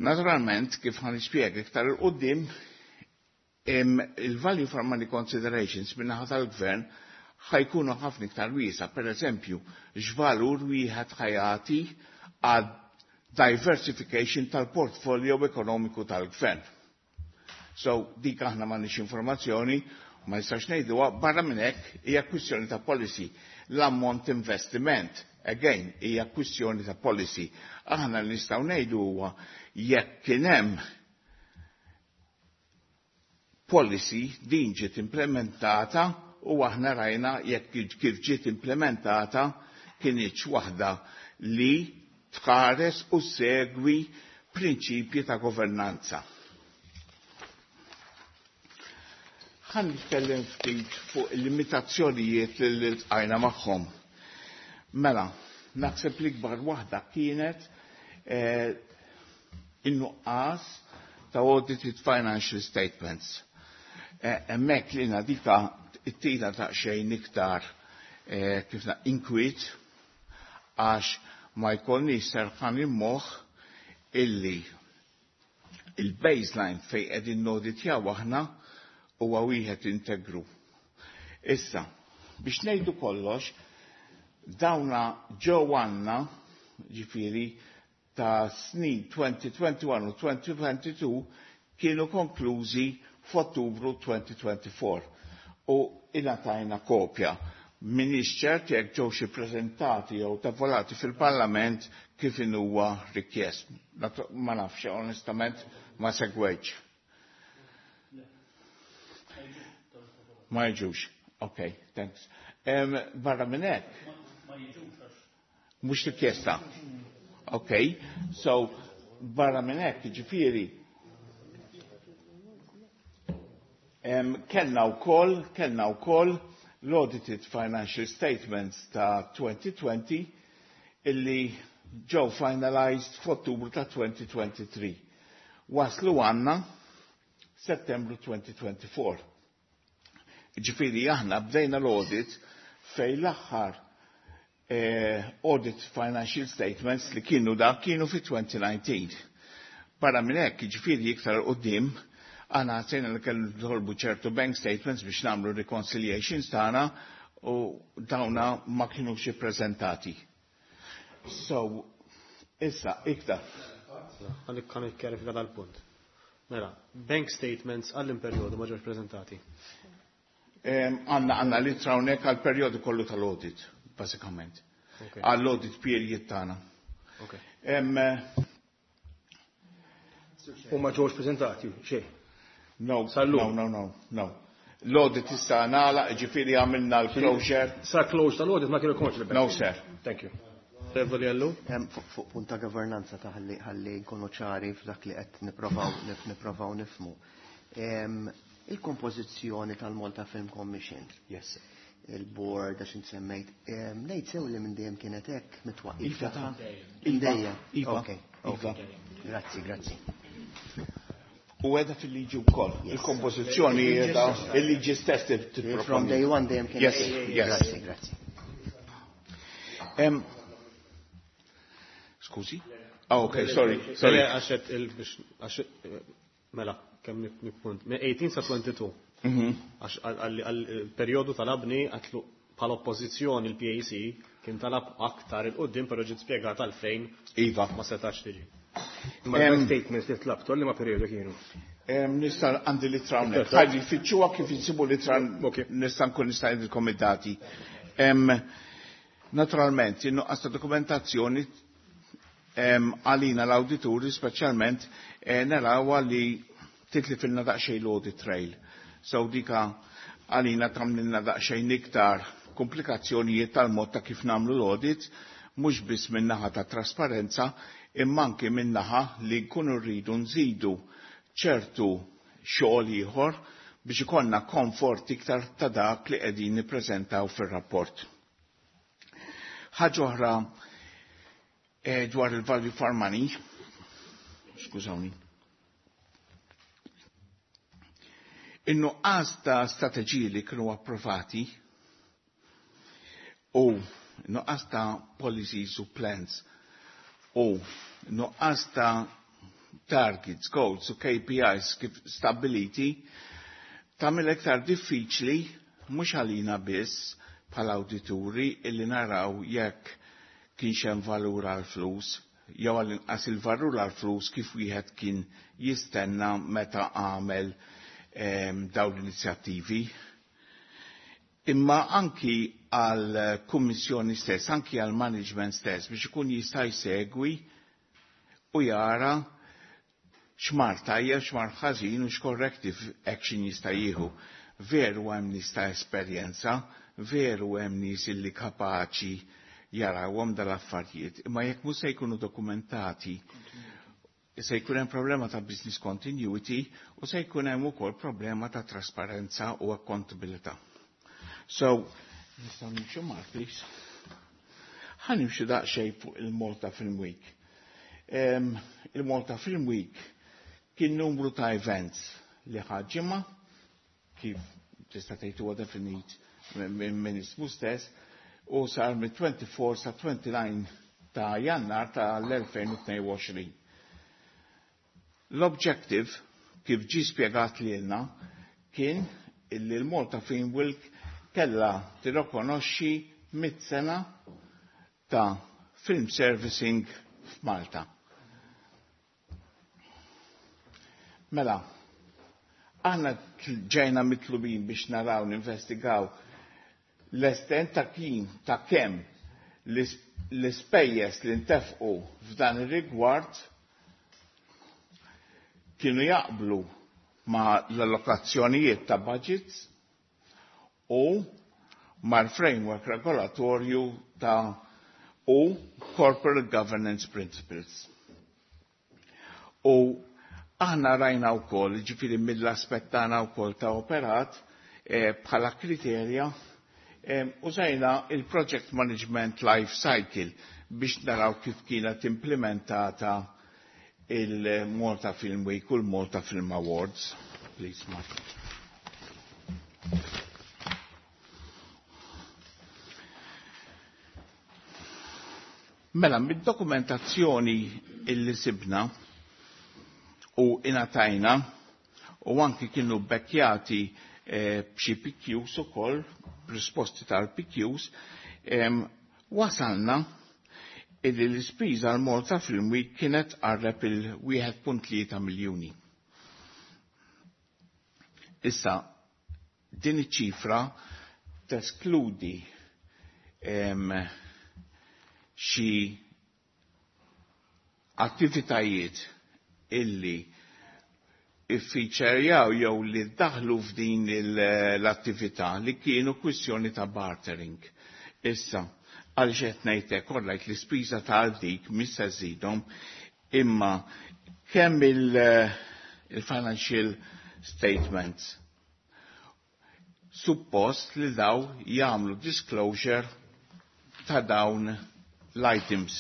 Speaker 9: naturalment kif ħa nispjega iktar 'il quddiem, il-value for money considerations min-naħa tal-gvern ħa jkunu ħafna iktar wiesa', per eżempju, x'valur wieħed ħa jagħti għad diversification tal-portfolio ekonomiku tal-gvern. So, dik aħna m'għandniex informazzjoni, ma nistax ngħiduha, barra minn hekk hija kwistjoni ta' policy. L-ammont investiment, again, hija kwistjoni ta' policy. Aħna li nistgħu ngħidu huwa jekk kien hemm policy din ġiet implementata u aħna rajna jekk kif ġiet implementata kinitx waħda li tħares u segwi prinċipji ta' governanza. Ħa nitkellem ftit fuq il-limitazzjonijiet li ltqajna magħhom. Mela, naħseb li kbar waħda kienet eh, in-nuqqas ta' audited financial statements. Hemmhekk li dika it-tila ta' xejn iktar eh, kif na inkwiet, għax ma jkollniex serħan il-moħħ illi il-baseline fej qegħdin noditjaw aħna huwa wieħed integru. Issa, biex ngħidu kollox, dawna ġew għandna, ġifieri ta' snin elfejn u wieħed u għoxrin u elfejn u tnejn u għoxrin kienu konklużi f'Ottubru elfejn u erbgħa u għoxrin u ingħatajna kopja. Minix ċert jekk ġew xi preżentati jew tavolati fil-Parlament kif huwa rikjest. Ma nafx, onestament, ma segwejtx. Ma jiġux. Ok, thanks. Um, barra minn hekk. Mhux rikjesta. Ok, so barra minn hekk, ġifieri, um, kellna wkoll, kellna wkoll l-audited financial statements ta' elfejn u għoxrin illi ġew finalized f'Ottubru ta' elfejn u tlieta u għoxrin. Waslu għanna Settembru elfejn u erbgħa u għoxrin. Ġifieri aħna bdejna l-audit fej l-aħħar eh, audit financial statements li kienu da kienu fi elfejn u dsatax. Barra minn hekk, ġifieri iktar quddiem, aħna ħassejna li kellu nitolbu ċertu bank statements biex nagħmlu reconciliations tagħna u dawna ma kinux ippreżentati. So, issa, iktar.
Speaker 2: Għalik kan ikkjarifika dal-punt. Mela, bank statements għall-perjodu ma ġewx prezentati.
Speaker 9: Għanna għanna li hawnhekk għal-perjodu kollu tal-audit, basikament. Għall-audit period tagħna.
Speaker 2: Ok.
Speaker 8: U ma ġewx prezentati, xejn.
Speaker 9: No,
Speaker 8: Sal-lum.
Speaker 9: no, no, no, no. L-audit issa nagħlaq, ġifieri għamilna l-closure.
Speaker 8: Sa close tal-audit ma kienu konx
Speaker 9: No, sir.
Speaker 8: Thank you.
Speaker 2: Onorevoli Ellul.
Speaker 7: Fuq punt ta' governanza ta' ħalli ħalli nkunu ċari f'dak li qed nipprovaw nipprovaw nifhmu. Il-kompożizzjoni tal-Malta Film Commission.
Speaker 8: Yes.
Speaker 7: Il-board għax int semmejt. Ngħid sew li minn dejjem kienet hekk mit-twaqqif.
Speaker 9: Iva ta'
Speaker 7: Iva.
Speaker 9: Iva.
Speaker 7: Ok.
Speaker 9: Iva.
Speaker 7: Grazzi, grazzi.
Speaker 9: U għedha fil-liġi wkoll. Il-kompożizzjoni qiegħda il-liġi stess tipproponi.
Speaker 7: From day one dejjem kienet.
Speaker 9: Yes, yes.
Speaker 7: Grazzi, grazzi.
Speaker 9: Em, Skużi? Ah, ok, sorry, sorry.
Speaker 2: Le, għax il għax mela, kemm nippunt. Minn tmintax sa tnejn u għoxrin.
Speaker 9: Mhm.
Speaker 2: Għax għal-perjodu tal-abni għatlu bħala oppożizzjoni il-P A C kien talab aktar il-qoddim, però ġiet spjegat għalfejn
Speaker 9: Iva.
Speaker 2: ma setax tiġi.
Speaker 8: Ma
Speaker 9: Em,
Speaker 8: statements li tlabtu li ma perjodu kienu?
Speaker 9: Em, Nista' għandi l-ittra hawnhekk. Ħalli fittxuha kif insibu l-ittra
Speaker 8: Ok.
Speaker 9: nista' nkun nista' ngħidilkom id-dati. Em, Naturalment, in-nuqqas ta' dokumentazzjoni em, għalina l-awdituri speċjalment eh, narawha li titlifilna daqsxejn l-audit trail. So dika għalina tagħmlilna daqsxejn iktar komplikazzjonijiet tal-mod ta' kif nagħmlu l-audit, mhux biss min-naħa ta' trasparenza, imma anke min-naħa li nkunu rridu nżidu ċertu xogħol ieħor biex ikollna komfort iktar ta' dak li qegħdin nippreżentaw fir-rapport. Ħaġa oħra eh, dwar il-value for money, skużawni. In-nuqqas ta' strateġiji li kienu approvati u nuqqas ta' policies u plans u nuqqas ta' targets, goals u K P Is kif stabiliti tagħmel iktar diffiċli mhux għalina biss bħala awdituri illi naraw jekk kienx hemm valur għal flus jew għall-inqas il-valur għal flus kif wieħed kien jistenna meta għamel em, dawn l-inizjattivi. Imma anki għal kummissjoni stess, anki għal management stess biex ikun jista' jsegwi u jara x'mar tajjeb, x'mar ħażin u x'corrective action jista' jieħu. Veru hemm nies ta' esperjenza, veru hemm nies illi kapaċi jarawhom dal-affarijiet, imma jekk mhux se jkunu dokumentati, se jkun hemm problema ta' business continuity u se jkun hemm ukoll problema ta' trasparenza u accountability. So, nistgħu nimxu Mark, please. Ħa nimxu daqsxejn fuq il-Malta Film Week. Um, il-Malta Film Week kien numru ta' events li ħaġimma, kif tista' tgħid huwa definit minn ismu stess, u sar mit-twenty-four sa twenty-nine ta' Jannar ta' l-elfejn u tnejn u għoxrin. L-objective, kif ġi spjegat lilna, kien illi l-Malta Film Week kella tirrikonoxxi mitt sena ta' film servicing f'Malta. Mela, aħna ġejna mitlubin biex naraw ninvestigaw l-estent ta' kien ta' kemm l-ispejjeż li ntefqu f'dan ir-rigward kienu jaqblu ma' l-allokazzjonijiet ta' budgets u mal-framework regolatorju ta' u corporate governance principles. U aħna rajna wkoll, ġifieri mill-aspett tagħna wkoll ta' operat eh, bħala kriterja eh, użajna il-Project Management Life Cycle biex naraw kif kienet implementata il-Malta Film Week u l-Malta Film Awards. Please, Mark. Mela, mid-dokumentazzjoni illi sibna u ingħatajna u anki kienu bekkjati eh, b'xi P Qs ukoll, risposti tal-P Qs, eh, wasalna illi l-ispiża l-Malta Film Week kienet qarreb il-wieħed punt tlieta miljuni. Issa, din iċ-ċifra teskludi em, xi attivitajiet illi iffiċerjaw jew li daħlu f'din l-attività li kienu kwistjoni ta' bartering. Issa, Għaliex qed ngħidlek kollha l-ispiża ta' dik mhix se żżidhom, imma kemm il-financial statements suppost li daw jagħmlu disclosure ta' dawn l-items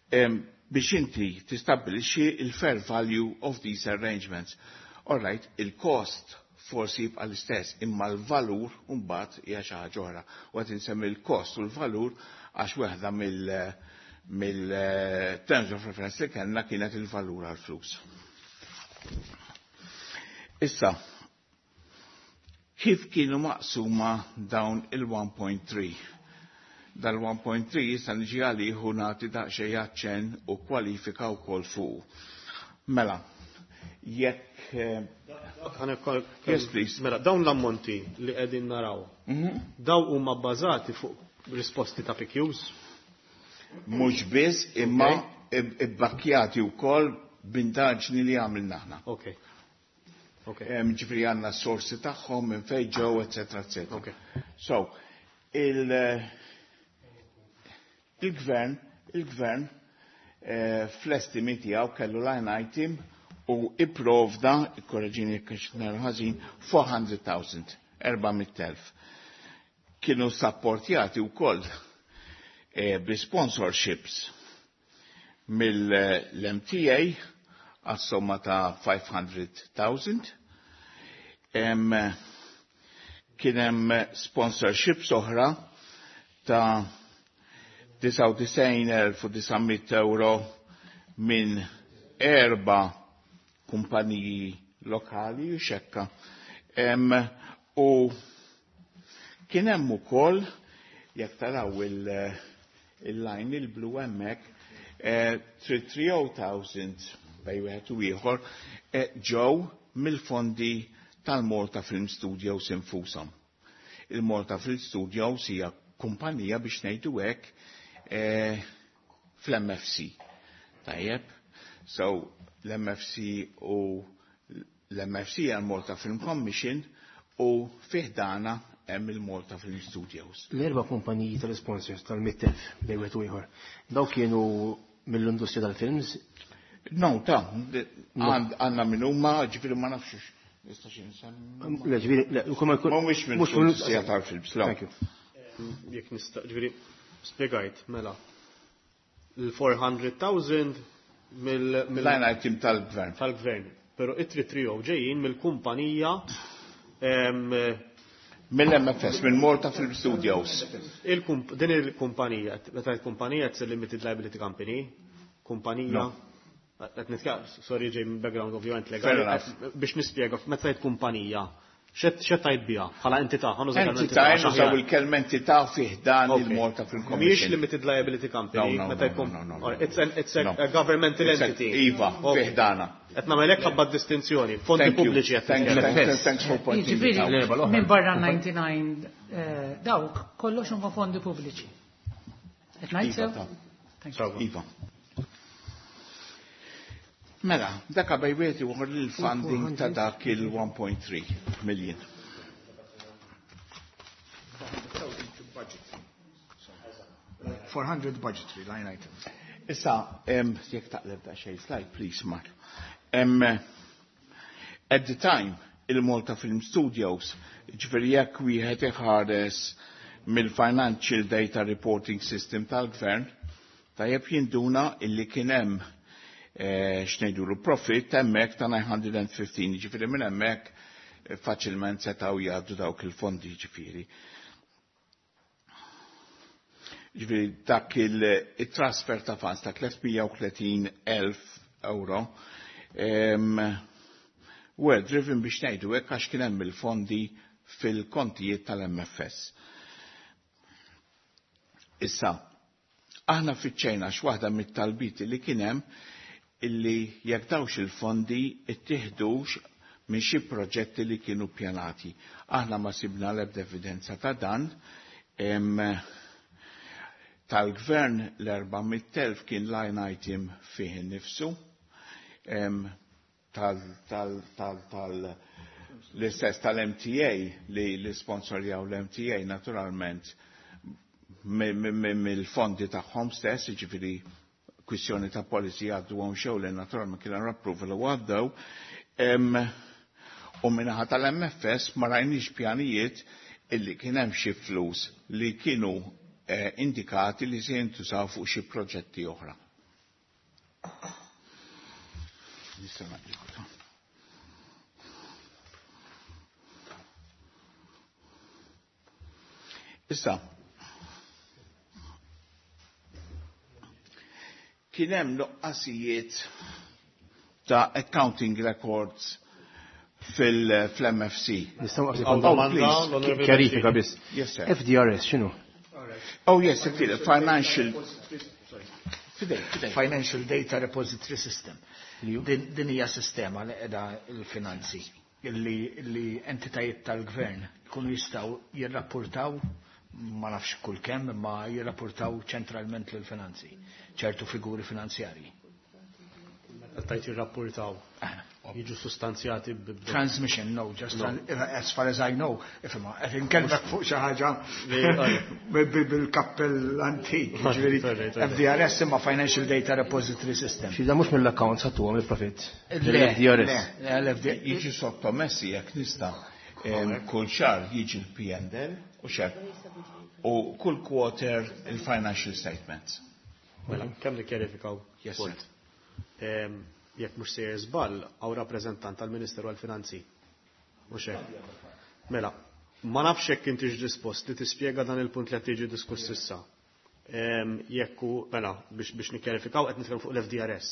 Speaker 9: biex inti tistabbilixxi il-fair value of these arrangements. All right, il-cost forsi jibqa' l-istess, imma l-valur mbagħad hija xi ħaġa oħra. U qed insemmi l-cost u l-valur għax waħda mill-terms of reference li kellna kienet il-valur għall-flus. Issa, kif kienu maqsuma dawn il-one point three? Dal-one point three jista' niġi għalih u nagħti daqsxejn aċċenn u kwalifika wkoll fuq. Mela, jekk, eh, Yes, please.
Speaker 2: Mela, dawn l-ammonti li qegħdin naraw,
Speaker 9: Mhm.
Speaker 2: daw huma bbażati fuq risposti ta' P Qs?
Speaker 9: Mhux biss, imma ibbakkjati wkoll b'indaġni li għamilna aħna.
Speaker 2: Ok. Ok.
Speaker 9: Em, ġifieri għandna s-sorsi tagħhom minn fejn ġew, eċetera, eċetera.
Speaker 2: Ok.
Speaker 9: So, il-, il-gvern, il-gvern, eh, fl-estimi tiegħu kellu line item u ipprovda, ikkorreġini jekk nara ħażin, four hundred thousand, erba' mitt elf. Kienu sapportjati wkoll, eh, bi sponsorships mill-M T A għas-somma ta' five hundred thousand. Em, kien hemm sponsorships oħra ta' disgħa u disgħin elf u disa' mitt euro minn erba' kumpaniji lokali u xekka. Em, u kien hemm ukoll, jekk taraw il-, il-line il-blu hemmhekk, eh, three oh thousand bej wieħed u ieħor, eh, ġew mill-fondi tal-Malta Film Studios infushom. Il-Malta Film Studios hija kumpanija biex ngħidu hekk, eh, fl-M F C. Tajjeb? So, l-M F C u l-M F C hija l-Malta Film Commission u fih dana hemm il-Malta Film Studios.
Speaker 8: L-erba' kumpaniji tal-sponsors tal-mitt elf bejn wieħed u ieħor, daw kienu mill-industrija tal-films?
Speaker 9: No, ta' għand-, għandna minn huma, ġifieri ma nafx nista' xi nsemmi.
Speaker 8: Le, ġifieri, le, u ma jkun
Speaker 9: Mhumiex minn
Speaker 8: mhux mill-
Speaker 9: industrija tal-films, le.
Speaker 8: Thank you.
Speaker 2: Jekk nista', ġifieri, spjegajt, mela, l-four hundred thousand mill-, mill-
Speaker 9: Line item tal-gvern.
Speaker 2: Tal-gvern. Però it-three three oh ġejjin mill-kumpanija, em,
Speaker 9: Mill-M F S, mill-Malta Film Studios.
Speaker 2: Il-kump-, din il-kumpanija, meta il-kumpanija it's a limited liability company, kumpanija,
Speaker 9: No.
Speaker 2: qed nitkellem, sorry ġej minn background ovvjament legali,
Speaker 9: Fair enough.
Speaker 2: biex nispjega, meta tgħid kumpanija, x'qed, x'qed tgħid biha bħala entità, ħa nuża kelma
Speaker 9: Entità,
Speaker 2: entità, għax
Speaker 9: nużaw
Speaker 2: aħjar.
Speaker 9: il-kelma entità fih dan
Speaker 2: Ok.
Speaker 9: il-Malta Film
Speaker 2: Mhijiex
Speaker 9: Commission.
Speaker 2: limited liability company,
Speaker 9: No, no,
Speaker 2: meta
Speaker 9: no,
Speaker 2: jkun
Speaker 9: no, no, no,
Speaker 2: All right, it's an, it's a,
Speaker 9: no.
Speaker 2: a governmental
Speaker 9: It's a
Speaker 2: entity.
Speaker 9: Iva,
Speaker 2: Ok.
Speaker 9: fih dana.
Speaker 2: Qed nagħmel hekk ħabba distinzjoni, fondi
Speaker 9: Thank you.
Speaker 2: pubbliċi qed
Speaker 9: Thank you.
Speaker 2: nitkellem.
Speaker 9: Thank you. Thanks for pointing it
Speaker 6: Jiġifieri,
Speaker 9: out.
Speaker 8: L-erba' l-oħra.
Speaker 6: minn barra ninety-nine, eh, dawk kollox huma fondi pubbliċi. Qed ngħid
Speaker 9: Iva,
Speaker 6: sew?
Speaker 9: ta.
Speaker 6: Thank you.
Speaker 9: Iva. Mela, dak bej wieħed ieħor il-funding ta' dak il-one point three million.
Speaker 5: four hundred budgetary line item.
Speaker 9: Issa, em, jekk taqleb da xejn slide, please, Mark. Em, at the time, il-Malta Film Studios, ġifieri jekk wieħed iħares mill-Financial Data Reporting System tal-Gvern, tajjeb jinduna illi kien hemm, eh, x'ngħidulu profit hemmhekk ta' nine hundred and fifteen, ġifieri minn hemmhekk, eh, faċilment setgħu jgħaddu dawk il-fondi, ġifieri. Ġifieri dak il-, il-transfer ta' funds ta' tliet mija u tletin elf euro, em, were driven biex ngħidu hekk għax kien hemm il-fondi fil-kontijiet tal-M F S. Issa, aħna fiċċejna x'waħda mit-talbiti li kien hemm illi jekk dawx il-fondi ittieħdux minn xi proġetti li kienu pjanati. Aħna ma sibna l-ebda evidenza ta' dan. Em, tal-gvern l-erba' mitt elf kien line item fih innifsu. Em, tal, tal, tal, tal, l-istess tal-M T A li li sponsorjaw l-M T A naturalment mill-fondi tagħhom stess, jiġifieri kwistjoni ta' policy għaddu għom xew li naturalment kien hemm approval u għaddew. U min-naħa tal-M F S ma rajniex pjanijiet illi kien hemm xi flus li kienu eh, indikati li se jintużaw fuq xi proġetti oħra. Nista' ngħaddi. Issa, kien hemm nuqqasijiet ta' accounting records fil-M F C.
Speaker 8: Nistgħu
Speaker 2: Għal domanda, l-Onorevoli
Speaker 8: Kjarifika biss.
Speaker 9: Yes, sir.
Speaker 8: F D R S x'inhu?
Speaker 9: Oh, yes, financial. Fidej, fidej.
Speaker 5: Financial Data Repository System. Din din hija sistema li qiegħda il-finanzi illi, illi entitajiet tal-gvern jkunu jistgħu jirrapportaw, ma nafx kull kemm, imma jirrapportaw ċentralment lill finanzi ċertu figuri finanzjarji.
Speaker 2: Tajt jirrapportaw. Jiġu sostanzjati b- b-
Speaker 5: Transmission, no, just no. As far as I know, ifhimha, qed inkellmek fuq xi ħaġa bil-kappell antik, ġifieri F D R S imma Financial Data Repository System.
Speaker 8: Xi da mhux mill-accounts ħadtuhom il-profit.
Speaker 5: Le,
Speaker 8: L-F D R S.
Speaker 5: le, l-F D R S.
Speaker 9: Jiġu sottomessi jekk nista' em, kull xahar jiġi l-P and L u xek u kull quarter il-financial statements.
Speaker 2: Mela, kemm nikkjarifikaw
Speaker 9: Yes,
Speaker 2: punt.
Speaker 9: Sir.
Speaker 2: Em, Jekk mhux sejjer żball, hawn rappreżentant tal-Ministeru għall-Finanzi. Mhux hekk. Mela, ma nafx jekk intix dispost li tispjega dan il-punt li qed tiġi diskuss issa. Em, Jekk hu, mela, biex biex nikkjarifikaw, qed nitkellmu fuq l-F D R S.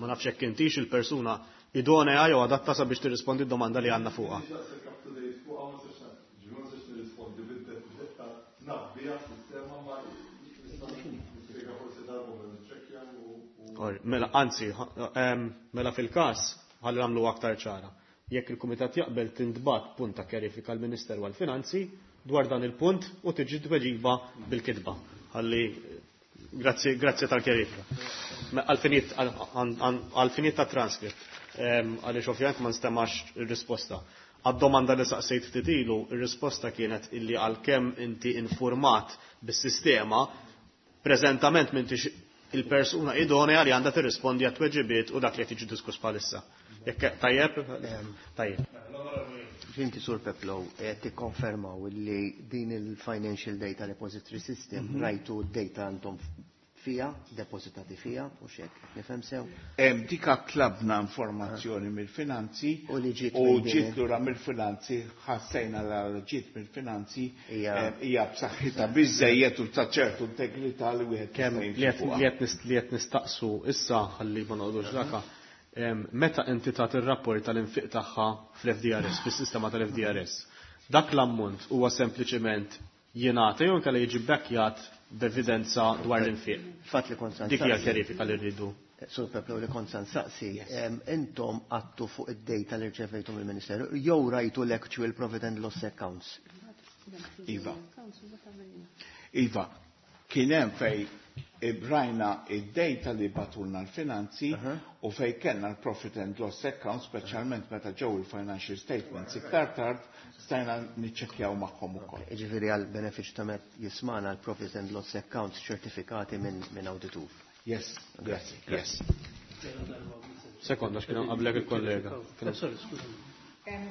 Speaker 2: Ma nafx jekk intix il-persuna idonea jew adatta sabiex tirrispondi d-domanda li għandna fuqha.
Speaker 10: Up to date fuq ma nistax, ġifieri ma nistax nirrispondi bid-detta, naf biha sistema, ma nista' nispjega forsi darba ma niċċekkja u
Speaker 2: Or, mela, anzi, ha- em, mela fil-każ, ħalli nagħmlu aktar ċara. Jekk il-Kumitat jaqbel, tintbagħat punt ta' kjarifika l-Ministeru għall-Finanzi dwar dan il-punt u tiġi tweġiba bil-kitba. Ħalli, grazzi, grazzi tal-kjarifika. Għal-finijiet għal-finijiet ta' transkript, em, għaliex ovvjament ma nstemax ir-risposta. Għad-domanda li saqsejt ftit ilu, ir-risposta kienet illi għalkemm inti informat bis-sistema, preżentament m'intix il-persuna idonea li għandha tirrispondi għat tweġibiet u dak li qed jiġi diskuss bħalissa. Jekk tajjeb? Tajjeb.
Speaker 7: Inti, Sur Peplow, qed tikkonfermaw li din il-Financial Data Repository System
Speaker 9: Mhm.
Speaker 7: rajtu d-data għandhom fija, depositati fija, u xek, nifhem sew?
Speaker 9: Em, Dika tlabna informazzjoni mill-finanzi
Speaker 7: U li ġiet
Speaker 9: u
Speaker 7: minn din-
Speaker 9: ġiet lura mill-finanzi, ħassejna la ġiet mill-finanzi
Speaker 7: Hija-
Speaker 9: em, hija b'saħħitha biżejjed u ta' ċertu integrità li wieħed
Speaker 2: Kemm
Speaker 9: jista'
Speaker 2: li
Speaker 9: jimxi
Speaker 2: qed
Speaker 9: fuqha.
Speaker 2: li qed nist- li qed nistaqsu issa, ħalli ma noqogħdux daka, em, meta entità tirrapport tal-infiq tagħha fl-F D R S, fis-sistema tal-F D R S. Dak l-ammont huwa sempliċement jingħata jew inkella jiġi backjat b'evidenza dwar l-infiq?
Speaker 7: Fatt li kont
Speaker 2: Dik hija
Speaker 7: saqsi.
Speaker 2: kjarifika li rridu.
Speaker 7: Sur Peplow, li kont saqsi, em, intom għattu fuq id-data li rċevejtu mill-Ministeru, jew rajtu l-actual profit and loss accounts?
Speaker 9: Iva. Iva, kien hemm fej ibrajna id-data li bagħtulna l-finanzi u fej kellna l-profit and loss account, speċjalment meta ġew il-financial statements iktar tard, stajna niċċekkjaw magħhom ukoll.
Speaker 7: Ġifieri għal benefiċ ta' met jismana, l-profit and loss accounts ċertifikati minn min auditur.
Speaker 9: Yes, yes, yes.
Speaker 2: Sekonda, x'kien hemm qablek il-kollega.
Speaker 3: Eh, Sorry, skużani.
Speaker 6: Em,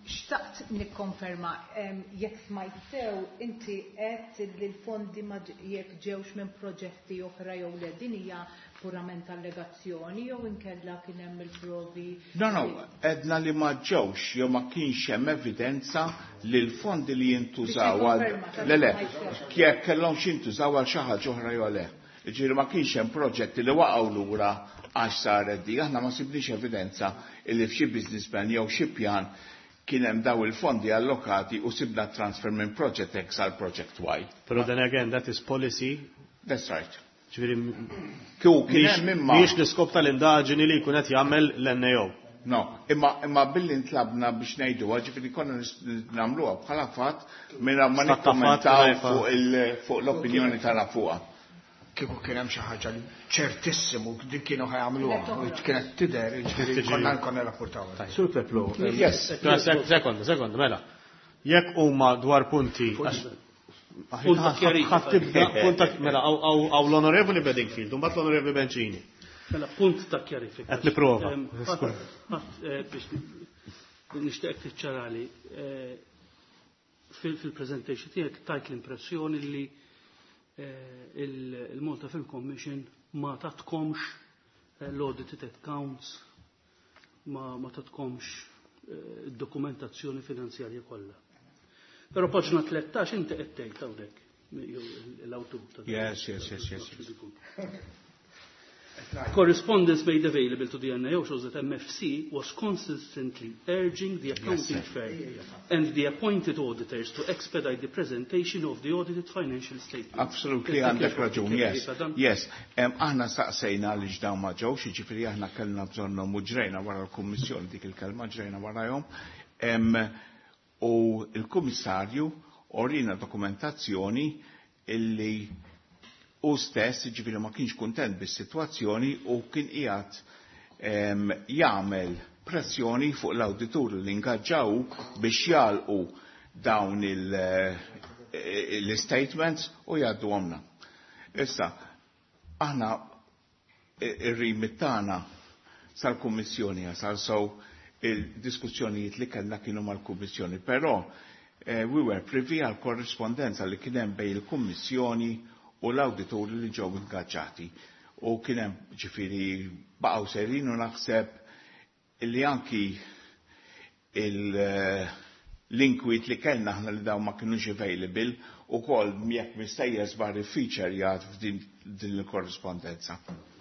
Speaker 6: Xtaqt nikkonferma, em, jekk smajt sew, inti qed li l-fondi ma ġ- jekk ġewx minn proġetti oħra jew le, din hija purament allegazzjoni jew inkella kien hemm il-provi?
Speaker 9: No, no, għedna li ma ġewx jew ma kienx hemm evidenza li l-fondi li jintużaw għal
Speaker 6: Biex
Speaker 9: Le, le,
Speaker 6: nikkonferma,
Speaker 9: jekk kellhom jintużaw għal xi ħaġa oħra jew le. Ġifieri ma kienx hemm proġetti li waqgħu lura għax saret di. Aħna ma sibniex evidenza li f'xi business plan jew xi pjan kien hemm daw il-fondi allokati u sibna transfer minn project X għal project Y.
Speaker 2: Pero then again, that is policy.
Speaker 9: That's right.
Speaker 2: Ġifieri
Speaker 9: Kieku kien hemm imma
Speaker 2: mhijiex l-iskop tal-indaġini li jkun qed jagħmel l-N A O.
Speaker 9: No, imma, imma billi ntlabna biex ngħidu, ġifieri konna nis- nagħmluha bħala fatt minn ma
Speaker 2: Stat ta' fatt,
Speaker 9: nikkommentaw
Speaker 2: mingħajr
Speaker 9: fuq il- fuq l-opinjoni tagħna fuqha.
Speaker 5: Kieku kien hemm xi ħaġa li ċertissimu dik kienu ħa jagħmluha u kienet tidher, ġifieri konna konna rapportaw.
Speaker 8: Sur Peplow,
Speaker 9: Yes.
Speaker 2: Sekonda, sekonda, mela. Jekk huma dwar punti għax-
Speaker 3: Punt
Speaker 2: Ħa tibda, punt ta' mela, hawn l-Onorevoli Bedingfield, u mbagħad l-Onorevoli Bencini.
Speaker 3: Mela, punt ta' kjarifika.
Speaker 2: Qed nipprova.
Speaker 3: Biex nixtieq tiċċarali, eh, fil-presentation tiegħek tajt l-impressjoni li eh, il-Malta Film Commission ma tatkomx eh, l-audited accounts, ma, ma tatkomx eh, dokumentazzjoni finanzjarja kollha. Però paġna tlettax inti qed tgħid hawnhekk jew l-awtur ta'
Speaker 9: Yes, yes, yes, yes, yes.
Speaker 3: Correspondence made available to the N A O shows that M F C was consistently urging the accounting
Speaker 9: Yes,
Speaker 3: firm and the appointed auditors to expedite the presentation of the audited financial statements.
Speaker 9: Absolutely, għandek raġun, yes. Yes, Em, aħna staqsejna li dawn ma ġewx, jiġifieri aħna kellna bżonnhom u ġrejna wara l-Kummissjoni, dik il-kelma, ġrejna warajhom. Em, U il-Kummissarju urina dokumentazzjoni illi u stess, ġifieri, ma kienx kuntent bis-sitwazzjoni u kien qiegħed em, jagħmel pressjoni fuq l-awditur li ingaġġaw biex jagħlqu dawn il- eh, l-statements u jgħaddu għomna. Issa, aħna ir-remit tagħna sal-Kummissjoni jasal, so il-diskussjonijiet li kellna kienu mal-Kummissjoni, però eh, we were privy għal korrispondenza li kien hemm bejn il-Kummissjoni u l-awditori li ġew ingaġġati. U kien hemm, ġifieri, baqgħu serin u naħseb li anki il- eh, l-inkwit li kellna aħna li dawn ma kienux available u kol jekk mistejjes bar feature jgħad f'din din il-korrispondenza.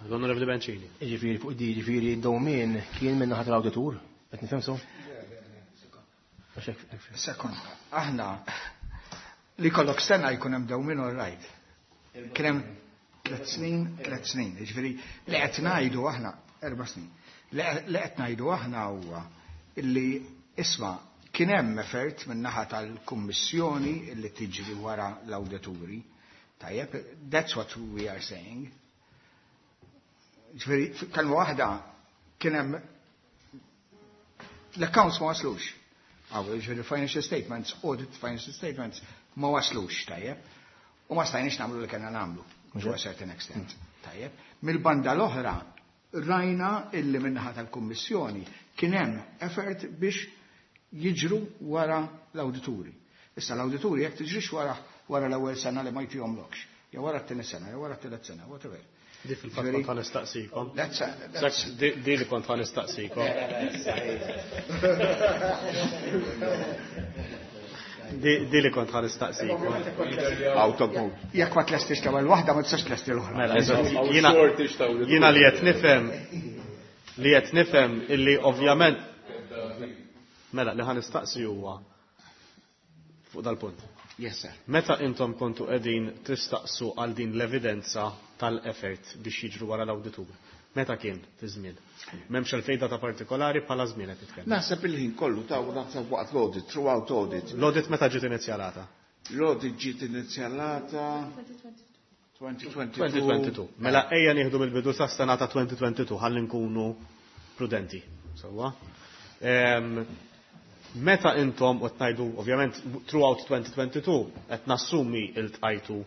Speaker 2: L-Onorevoli Bencini.
Speaker 8: Ġifieri fuq di, ġifieri dewmien kien minn naħa tal-awditur, qed nifhem so? Għax hekk- hekk-
Speaker 5: Sekond, aħna li kollok sena jkun hemm dewmien, all right. Kien hemm tliet snin, tliet snin. Ġifieri li qed ngħidu aħna erba' snin. Li li qed ngħidu aħna huwa illi, isma', kien hemm effort minn naħa tal-Kummissjoni illi tiġri wara l-awdituri. Tajjeb, that's what we are saying. Ġifieri, kelma waħda, kien hemm l-accounts ma waslux. Għaw, ġifieri financial statements, audit financial statements ma waslux, tajjeb. U ma stajniex nagħmlu li kellna nagħmlu, to a certain extent, tajjeb. Mill-banda l-oħra, rajna illi min-naħa tal-Kummissjoni kien hemm effort biex jiġru wara l-awdituri. Issa l-awdituri jekk tiġrix wara wara l-ewwel sena li ma jtihomlokx, jew wara t-tieni sena, jew wara t-tielet sena, whatever.
Speaker 2: Di fil-fatt kont ħa nistaqsikom.
Speaker 5: That's, that's,
Speaker 2: Di di li kont ħa nistaqsikom. Di di li kont ħa nistaqsikom.
Speaker 9: Out of mode.
Speaker 5: Jekk ma tlestix l-ewwel waħda, ma tistax tlesti l-oħra.
Speaker 2: Mela, eżatt. Jiena jiena li qed nifhem li qed nifhem illi ovvjament, mela, li ħa nistaqsi huwa fuq dal-punt.
Speaker 9: Yes, sir.
Speaker 2: Meta intom kontu qegħdin tistaqsu għal din l-evidenza tal-effort biex jiġru wara l-awditur? Meta kien fi żmien? M'hemmx għalfejn data partikolari, bħala żmien qed nitkellem.
Speaker 9: Naħseb il-ħin kollu ta' u naħseb waqt l-audit, throughout audit.
Speaker 2: L-audit meta ġiet inizjalata?
Speaker 9: L-audit ġiet inizjalata elfejn u tnejn u għoxrin.
Speaker 2: elfejn u tnejn u għoxrin. Mela ejja nieħdu mill-bidu sa sena ta' elfejn u tnejn u għoxrin ħalli nkunu prudenti. Sewwa. Em, Meta intom u tnajdu, ovvjament, throughout twenty twenty-two, qed nassumi iltqajtu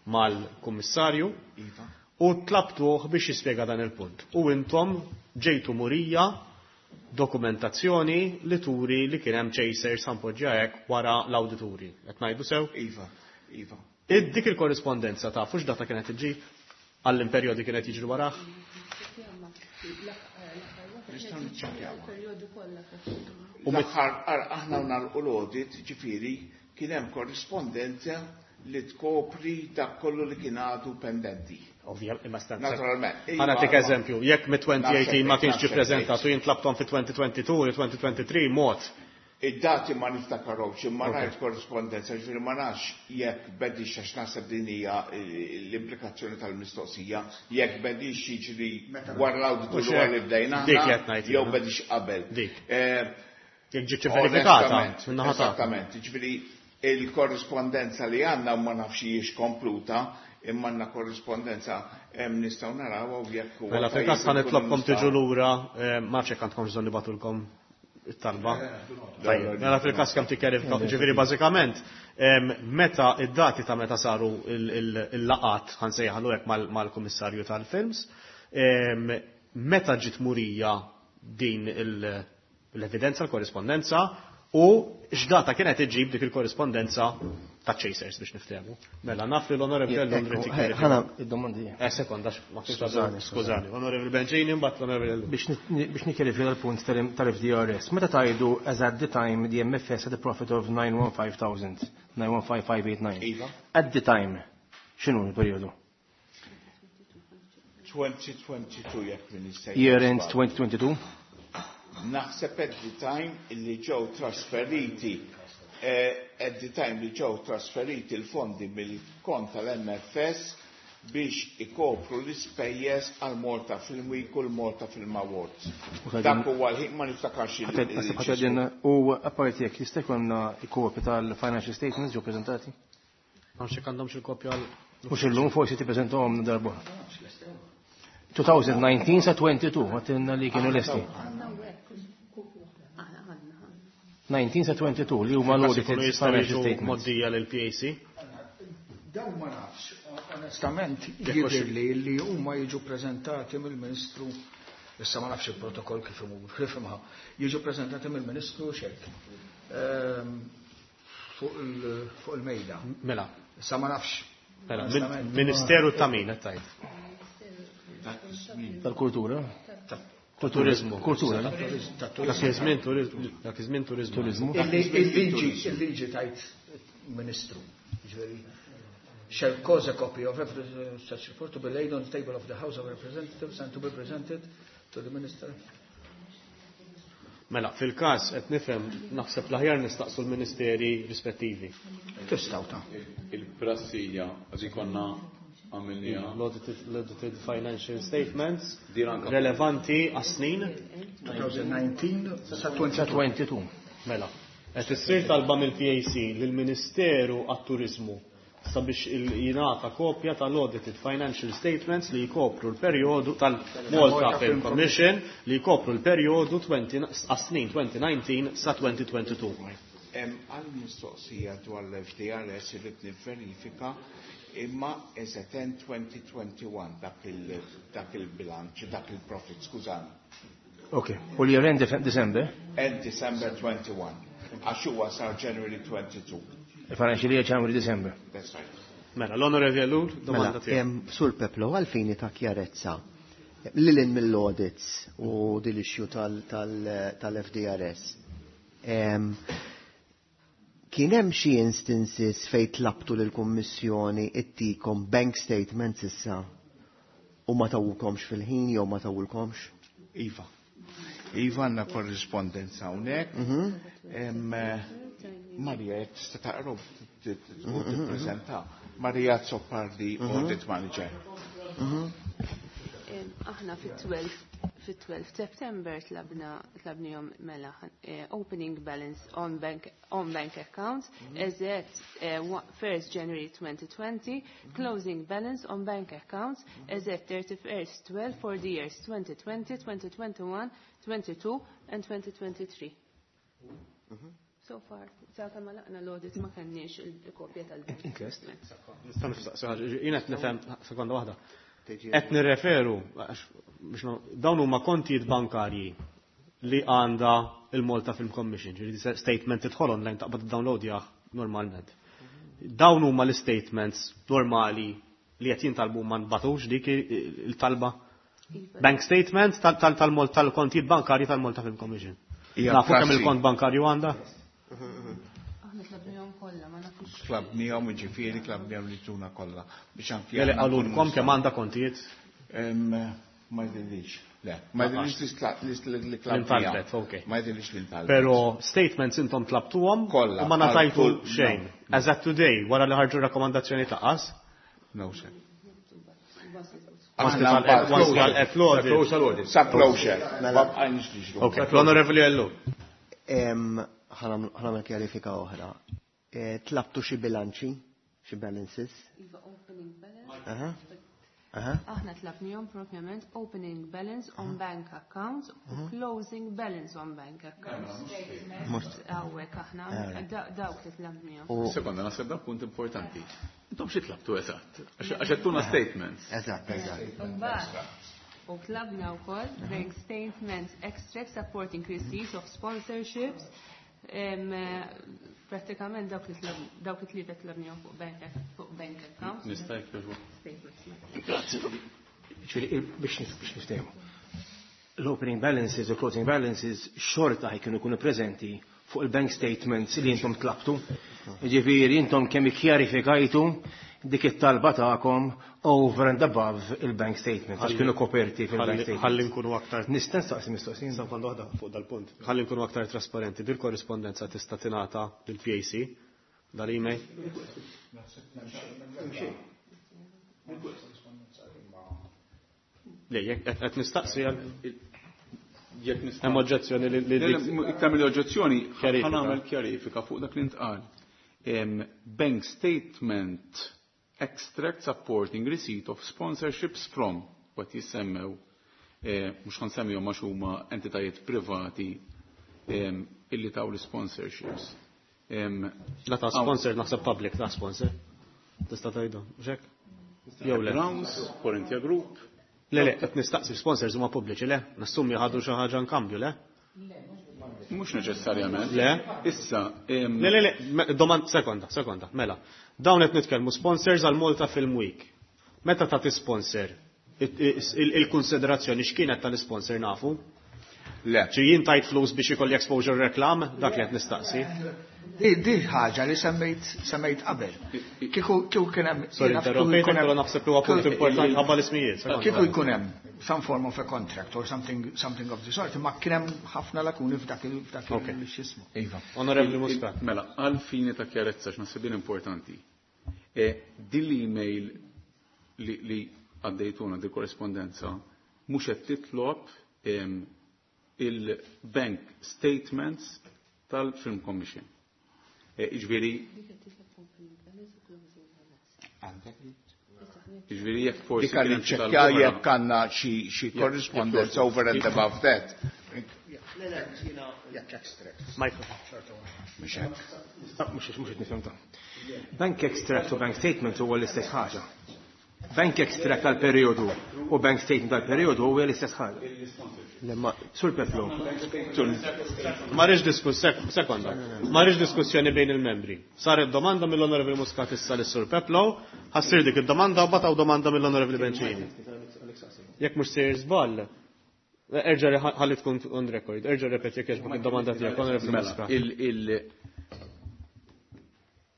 Speaker 2: mal-kummissarju
Speaker 9: Iva.
Speaker 2: u tlabtuh biex jispjega dan il-punt. U intom ġejtu murija dokumentazzjoni li turi li kien hemm chasers sampoġġja hekk wara l-awdituri. Qed ngħidu sew?
Speaker 9: Iva, Iva.
Speaker 2: Id dik il-korrispondenza ta' fux data kienet iġġib għall-imperjodi kienet jiġru warah?
Speaker 9: Nistgħu niċċekkjawha.
Speaker 1: Periodu kollha.
Speaker 2: U mit-
Speaker 9: L-aħħar ar- aħna nagħlqu l-audit, ġifieri kien hemm korrispondenza li tkopri dak kollu li kien għadu pendenti.
Speaker 2: Ovvja, imma stanza.
Speaker 9: Naturalment.
Speaker 2: Ħa nagħtik
Speaker 9: Iva,
Speaker 2: eżempju, jekk mit-elfejn u tmintax ma kienx ġi
Speaker 9: Naħseb,
Speaker 2: preżentat u jien tlabtom fi elfejn u tnejn u għoxrin u elfejn u tnejn u għoxrin mod.
Speaker 9: Id-dati ma niftakarhomx, imma
Speaker 2: Ok.
Speaker 9: rajt korrispondenza, ġifieri ma nafx jekk bedix, għax naħseb din hija eh, l-implikazzjoni tal-mistoqsija, jekk bedix jiġri wara l-awditur
Speaker 2: Mhux
Speaker 9: wara
Speaker 2: hekk.
Speaker 9: li bdejna
Speaker 2: Dik
Speaker 9: aħna,
Speaker 2: li qed ngħid
Speaker 9: jew
Speaker 2: jiena.
Speaker 9: bedix qabel.
Speaker 2: Dik.
Speaker 9: Eh,
Speaker 2: Jekk ġietx verifikata
Speaker 9: Onestament,
Speaker 2: min-naħa tagħkom.
Speaker 9: esattament, ġifieri il-korrispondenza li għandna ma nafx hijiex kompluta, imma għandna korrispondenza hemm nistgħu narawha u jekk huwa
Speaker 2: Mela fil-każ
Speaker 9: tajjeb
Speaker 2: ħa nitlobkom
Speaker 9: inkunu
Speaker 2: tiġu lura, eh, ma nafx jekk għandkom bżonn nibagħtulkom it-talba. Tajjeb, mela fil-każ kemm tikkjarifika, ġifieri bażikament meta id-dati ta' meta saru il-laqat ħa nsejjaħlu hekk mal-Kummissarju tal-Films, meta ġiet murija din l-evidenza, l-korrispondenza, u x'data kienet iġib dik il-korrispondenza ta' Chasers biex niftehmu. Mela naf li l-Onorevoli Ellul
Speaker 8: Ħana id-domandi.
Speaker 2: Eh, sekonda, ma skużani, skużani. Onorevoli Bencini, mbagħad l-Onorevoli Ellul.
Speaker 8: Biex nikkjarifika l-punt tal-F D R S. Meta tajdu as at the time the M F S had a profit of nine hundred fifteen thousand, nine one five five eight nine.
Speaker 9: Iva.
Speaker 8: At the time, x'inhu l-perjodu?
Speaker 9: twenty twenty-two jekk min
Speaker 8: Year end twenty twenty-two?
Speaker 9: Naħseb at the time li ġew trasferiti eh, at the time li ġew trasferiti l-fondi mill-kont tal-M F S biex ikopru l-ispejjeż għal Malta Film Week u l-Malta Film Awards. Dak huwa l-ħin, ma niftakarx.
Speaker 8: il U apparti jekk jista' jkollna kopja tal-financial statements ġew preżentati?
Speaker 2: Nafx jekk għandhomx il-kopja għal.
Speaker 8: Mhux illum, forsi tippreżentahom darba. twenty nineteen sa twenty-two, għedtilna li kienu lesti. nineteen sa twenty-two li huma l-audited financial statements.
Speaker 2: Moddija lil P A C.
Speaker 5: Dawn ma nafx, onestament, jidhirli li huma jiġu prezentati mill-Ministru, issa ma nafx il-protokoll kif imur, kif imha, jiġu prezentati mill-Ministru xek. Ehm, fuq il-mejda.
Speaker 2: Mela.
Speaker 5: Issa ma nafx.
Speaker 2: Mela, Ministeru ta' min qed tgħid?
Speaker 8: Tal-kultura?
Speaker 2: Turizmu.
Speaker 8: Kultura.
Speaker 2: Dak iż-żmien turizmu. Dak iż-żmien turizmu.
Speaker 8: Turizmu.
Speaker 5: Il-liġi, il-liġi tgħid Ministru. Ġifieri, shall cause a copy of every such report to be laid on the table of the House of Representatives and to be presented to the Minister.
Speaker 2: Mela, fil-każ qed nifhem naħseb l-aħjar nistaqsu l-ministeri rispettivi.
Speaker 5: Tistgħu ta'
Speaker 4: Il-prassija għax konna għamilniha.
Speaker 2: L-audited financial statements relevanti għas-snin
Speaker 5: twenty nineteen sa twenty-two.
Speaker 8: twenty-two.
Speaker 2: Mela, qed issir talba mill-P A C lill-Ministeru għat-Turizmu sabiex jingħata kopja tal-audited financial statements li jkopru l-perjodu tal-Malta Film Commission li jkopru l-perjodu għas-snin twenty nineteen sa twenty twenty-two.
Speaker 9: Għal mistoqsija dwar l-F D R S irrid nivverifika, imma eżatt twenty twenty-one dak il-bilanċ, dak il-profit, skużani.
Speaker 8: Ok, u li end December?
Speaker 9: End December twenty-one. Għax huwa sar January twenty-two.
Speaker 8: Il-financial year January December.
Speaker 9: That's right.
Speaker 2: Mela, l-Onorevoli Ellul, domanda
Speaker 7: Mela,
Speaker 2: tiegħek.
Speaker 7: Sur Peplo, għalfini ta' kjarezza, lil hinn mill-audits u dil-issue tal-F D R S. Kien hemm xi instances fejn tlabtu lill-Kummissjoni ittikom bank statements issa u ma tawukomx fil-ħin jew ma tawulkomx?
Speaker 9: Iva. Iva, għandna korrispondenza hawnhekk. Em, eh, Maria, jekk tista' taqrob u tippreżenta. Maria Azzopardi, Audit Manager.
Speaker 11: Em, Aħna fit-tlettax fit-tlettax September tlabna tlabnihom, mela, eh, opening balance on bank on bank accounts as at eh, wa- first January twenty twenty, closing balance on bank accounts as at thirty-first twelve for the years twenty twenty, twenty twenty-one, twenty-two and twenty twenty-three. So far, sa kemm għalaqna l-audit ma kenniex il-kopja tal-bank
Speaker 8: Interest.
Speaker 11: statements.
Speaker 2: Nista' nistaqsi ħaġa, jien qed nifhem sekonda waħda. Qed nirreferu għax biex no- dawn huma kontijiet bankarji li għandha il-Malta Film Commission, ġifieri statement tidħol online taqbad download normalment. Dawn huma l-statements normali li qed jintalbu, ma nbatux dik il-talba.
Speaker 11: Iva.
Speaker 2: Bank statement tal-Malta, tal-kontijiet bankarji tal-Malta Film Commission.
Speaker 9: Hija
Speaker 2: Nafu kemm
Speaker 9: prassi.
Speaker 2: il-kont bankarju għandha?
Speaker 11: Aħna tlabnihom kollha, ma nafux.
Speaker 9: Tlabnihom, ġifieri, tlabnihom li tuna kollha. Biex anki
Speaker 2: Jeli
Speaker 9: aħna
Speaker 2: qalulkom
Speaker 9: nkunu
Speaker 2: kemm għandha kontijiet?
Speaker 9: Em, Ma jidhirlix. Le, ma jidhirlix li li li tlabnihom.
Speaker 2: L-intalbet, ok.
Speaker 9: Ma jidhirlix li ntalbet.
Speaker 2: Pero statements intom tlabtuhom
Speaker 9: Kollha,
Speaker 2: u ma ngħatajtu
Speaker 9: għal kull-
Speaker 2: xejn.
Speaker 9: No.
Speaker 2: As at today, wara li ħarġu rakkomandazzjoni taqas,
Speaker 9: No, sir.
Speaker 2: once għal l-audit.
Speaker 4: Close l-audit.
Speaker 9: Sa closure. Ma bqajniex niġru.
Speaker 2: Ok, l-Onorevoli Ellul.
Speaker 7: Em, Ħa nagħmel kjarifika oħra. Eh, Tlabtu xi bilanċi, xi balances?
Speaker 11: Iva, opening balance.
Speaker 7: Aha.
Speaker 11: Aħna tlabnihom propjament opening balance on bank accounts u closing balance on bank accounts. Hawnhekk aħna dawk li tlabnihom.
Speaker 4: Sekonda, naħseb dak punt importanti. Intom xi tlabtu eżatt? Għax għedtuna statements.
Speaker 7: Eżatt, eżatt.
Speaker 11: U tlabna wkoll bank statements extract supporting receipts of sponsorships. Pratikament dawk li tlieta tlabnihom fuq bank fuq bank accounts.
Speaker 4: Nista' jekk
Speaker 8: Grazzi. Ġifieri biex niftehmu. L-opening balances u closing balances xorta ħajkunu jkunu preżenti fuq il-bank statements li intom tlabtu. Ġifieri intom kemm ikkjarifikajtu dik it-talba tagħkom over and above il-bank statement, għax kienu koperti fil-bank statement.
Speaker 2: Ħalli nkunu aktar.
Speaker 8: Nista' nistaqsi mistoqsija.
Speaker 2: Sekonda waħda fuq dal-punt. Ħalli nkunu aktar trasparenti. Dil korrispondenza tista' tingħata lill-P A C dal-email. Le, jekk qed nistaqsi għal
Speaker 4: Jekk nista'
Speaker 2: hemm oġġezzjoni li li
Speaker 4: Iktar mill-oġġezzjoni,
Speaker 2: Kjarifika.
Speaker 4: ħa nagħmel kjarifika fuq dak li ntqal. Em, Bank statement extract supporting receipt of sponsorships from what jissemmew, eh, mhux ħa nsemmihom għax huma entitajiet privati em, illi taw l-sponsorships. Em,
Speaker 2: La ta' sponsor, naħseb public ta' sponsor. Tista' tgħidu, mhux hekk? Jew le.
Speaker 4: Browns, Corinthia Group.
Speaker 2: Le, le, qed nistaqsi, sponsors huma pubbliċi, le? Nassumi ħadu xi ħaġa nkambju, le?
Speaker 4: Mhux neċessarjament.
Speaker 2: Le?
Speaker 4: Issa, em,
Speaker 2: Le, le, le, me- domand, sekonda, sekonda, mela. Dawn qed nitkellmu sponsors għal Malta Film Week. Meta tagħti sponsor, it- il- il-konsiderazzjoni x'kienet tal-sponsor nafu?
Speaker 9: Le.
Speaker 2: Ċi jien tajt flus biex ikolli exposure reklam, dak li qed nistaqsi.
Speaker 5: Di di ħaġa li semmejt semmejt qabel. Kieku kieku kien hemm
Speaker 2: Sorry,
Speaker 5: jiena kieku
Speaker 2: interrompejtek,
Speaker 5: jkun hemm-
Speaker 2: però naħseb li huwa punt importanti ħabba l-ismijiet. Sekonda.
Speaker 5: Kieku jkun hemm some form of a contract or something something of the sort, ma kien hemm ħafna lakuni f'dak il f'dak il x'ismu.
Speaker 9: Iva.
Speaker 2: Onorevoli Muscat.
Speaker 4: Mela, għal fini ta' kjarezza, x'naħseb din importanti. E, din l-email li, li għaddejtuna di korrespondenza mhux qed titlob em, il-bank statements tal-Film Commission. E, Iġifieri, iġifieri jekk forsi
Speaker 9: Dik għalli
Speaker 4: kien hemm xi
Speaker 9: ċekkja
Speaker 4: talba oħra.
Speaker 9: jekk għandna xi xi correspondence over and above that.
Speaker 5: Jekk extract.
Speaker 2: Michael.
Speaker 9: Mhux hekk.
Speaker 8: Mhux mhux qed nifhem ta'. Bank extract u bank statement huwa l-istess ħaġa. Bank extract tal-periodu u bank statement tal-periodu huwa l-istess ħaġa. Sur Peplo.
Speaker 2: Ma rridx diskuss, sekonda. Ma rridx diskussjoni bejn il-membri. Saret domanda mill-Onorevoli Muscat issa lis-Sur Peplo, ħa ssir dik id-domanda u bataw domanda mill-Onorevoli Bencini. Jekk mhux sejjer żball, erġa' ħalli tkun on record, erġa' repeti jekk jogħġbok id-domanda tiegħek, Onorevoli
Speaker 4: Mela,
Speaker 2: Muscat.
Speaker 4: il, il,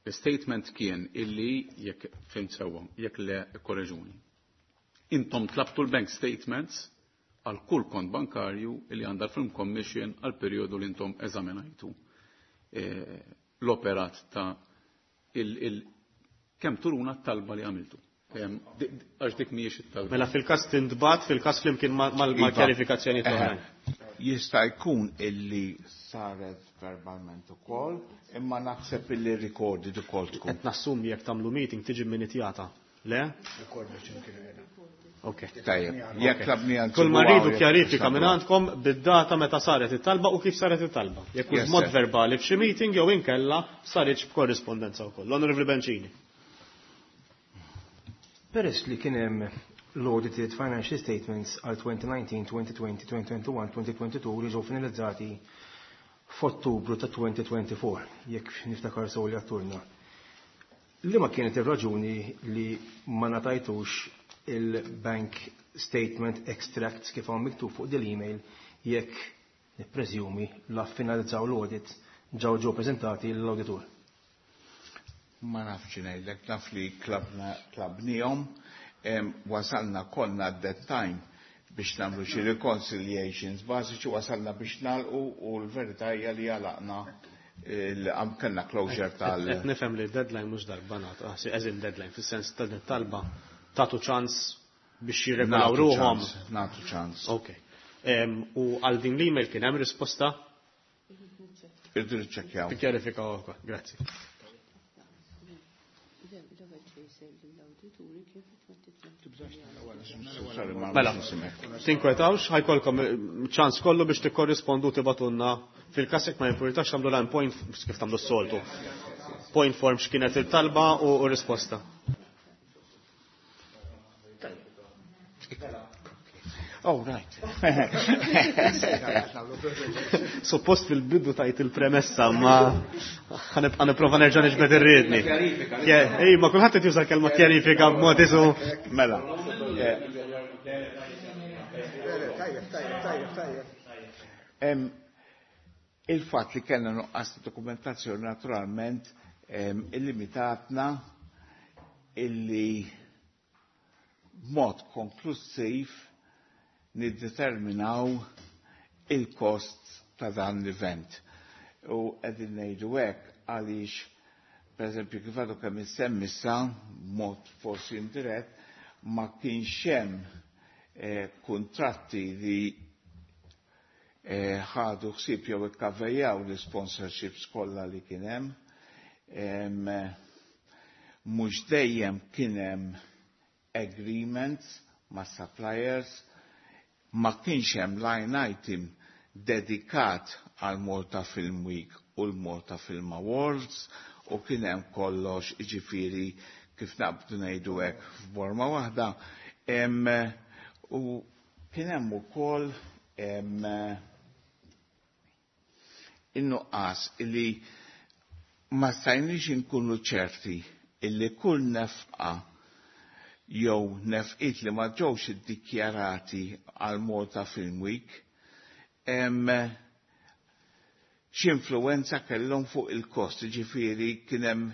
Speaker 4: il-statement kien illi jekk fhimt sewwa, jekk le korreġuni. Intom tlabtu l-bank statements għal kull kont bankarju illi għandha l-Film Commission għal periodu li intom eżaminajtu eh, l-operat ta' il, il, kemm turuna t-talba li għamiltu. Em, di- di- Għax dik mhijiex it-talba.
Speaker 2: Mela fil-każ tintbagħat, fil-każ flimkien mal-kjarifikazzjoni
Speaker 9: Iva.
Speaker 2: oħrajn.
Speaker 9: Jista' jkun illi saret verbalment ukoll, imma naħseb illi recorded ukoll tkun.
Speaker 2: Qed nassumi jekk tagħmlu meeting tiġi minitjata. Le? Ok.
Speaker 9: Tajjeb, jekk tlabni għal
Speaker 2: Kull ma rridu kjarifika minn għandkom bid-data meta saret it-talba u kif saret it-talba. Jekk hux
Speaker 9: Yes,
Speaker 2: mod
Speaker 9: sir.
Speaker 2: verbali f'xi meeting jew inkella saritx b'korrispondenza wkoll. L-Onorevoli Bencini.
Speaker 8: Peress li kien hemm l-audited financial statements għal twenty nineteen, twenty twenty, twenty twenty-one, twenty twenty-two li ġew finalizzati f'Ottubru ta' twenty twenty-four, jekk niftakar sew li għedtulna. Li ma kienet ir-raġuni li ma ngħatajtux il-bank statement extracts kif hawn miktub fuq dil-email jekk nippreżumi la finalizzaw l-audit ġew ġew preżentati l-auditur?
Speaker 9: Ma nafx ngħidlek, naf li tlabna tlabnihom, em, wasalna konna at that time biex nagħmlu xi reconciliations bażiċi, wasalna biex nagħlqu u l-verità hija li għalaqna il- kellna closure tal
Speaker 2: Qed nifhem li deadline mhux darba nagħtu, ah, eżin deadline fis-sens ta' talba tagħtu ċans biex jirregolaw
Speaker 9: Nagħtu
Speaker 2: ruhom.
Speaker 9: ċans, nagħtu ċans.
Speaker 2: Ok. Em, U għal din l-email kien hemm risposta?
Speaker 9: Irridu niċċekkjaw.
Speaker 2: Tikkjarifika wkoll. Grazzi.
Speaker 11: L-ewwel chaser lill-awdituri kien fit-twenty twenty.
Speaker 9: Sorry, ma
Speaker 2: Mela, tinkwetawx, ħa jkollkom ċans kollu biex tikkorrispondu, tibagħtulna fil-każ jekk ma jimpurtax tagħmlu line point kif tagħmlu s-soltu. Point form x'kienet il-talba u u risposta.
Speaker 9: Oh, right.
Speaker 2: Suppost fil-bidu tajt il-premessa, ma ħa nibqa' nipprova nerġa' niġbed ir-riedni. Ej, ma kulħadd qed juża kelma kjarifika b'mod isu.
Speaker 9: Mela. eh,
Speaker 5: Tajjeb, tajjeb, tajjeb, tajjeb.
Speaker 9: Em, Il-fatt li kellna nuqqas ta' dokumentazzjoni naturalment em, illimitatna illi b'mod konklusiv niddeterminaw il-kost ta' dan l-event. U qegħdin ngħidu hekk għaliex, per eżempju, kif għadu kemm insemmi sa, mod forsi indirett, ma kienx hemm eh, kontratti li eh, ħadu ħsieb jew ikkaverjaw l-sponsorships kollha li kien hemm. Em, Mhux dejjem kien hemm agreements ma' suppliers, ma kienx hemm line item dedikat għal Malta Film Week u l-Malta Film Awards u kien hemm kollox, jiġifieri kif naqbdu ngħidu hekk f'borma waħda. Em, U kien hemm ukoll em, in-nuqqas illi ma stajniex inkunu ċerti illi kull nefqa jew nefqiet li ma ġewx iddikjarati għal Malta Film Week em, x'influwenza kellhom fuq il-kost, ġifieri kien hemm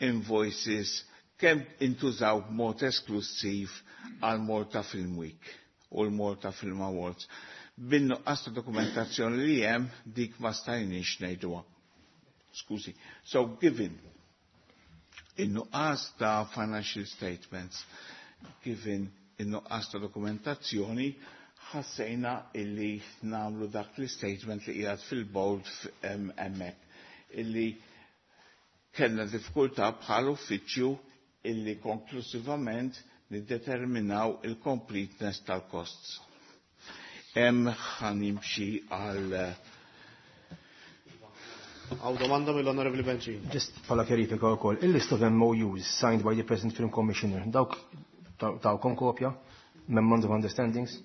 Speaker 9: invoices kemm intużaw b'mod esklusiv għal Malta Film Week u l-Malta Film Awards. Bin-nuqqas ta' dokumentazzjoni li hemm dik ma stajniex ngħiduha. Skużi. So given in-nuqqas ta' financial statements, given in-nuqqas ta' dokumentazzjoni, ħassejna illi nagħmlu dak l-statement li qiegħed fil-bold hemmhekk illi kellna diffikultà bħal uffiċċju illi konklusivament niddeterminaw il-completeness tal-costs. Hemm ħa nimxi għal
Speaker 2: Hawn domanda mill-Onorevoli Bencin.
Speaker 8: Just bħala kjarifika wkoll, il-list of M O Us signed by the present film commissioner, dawk tawkom kopja, Memorandum of Understandings?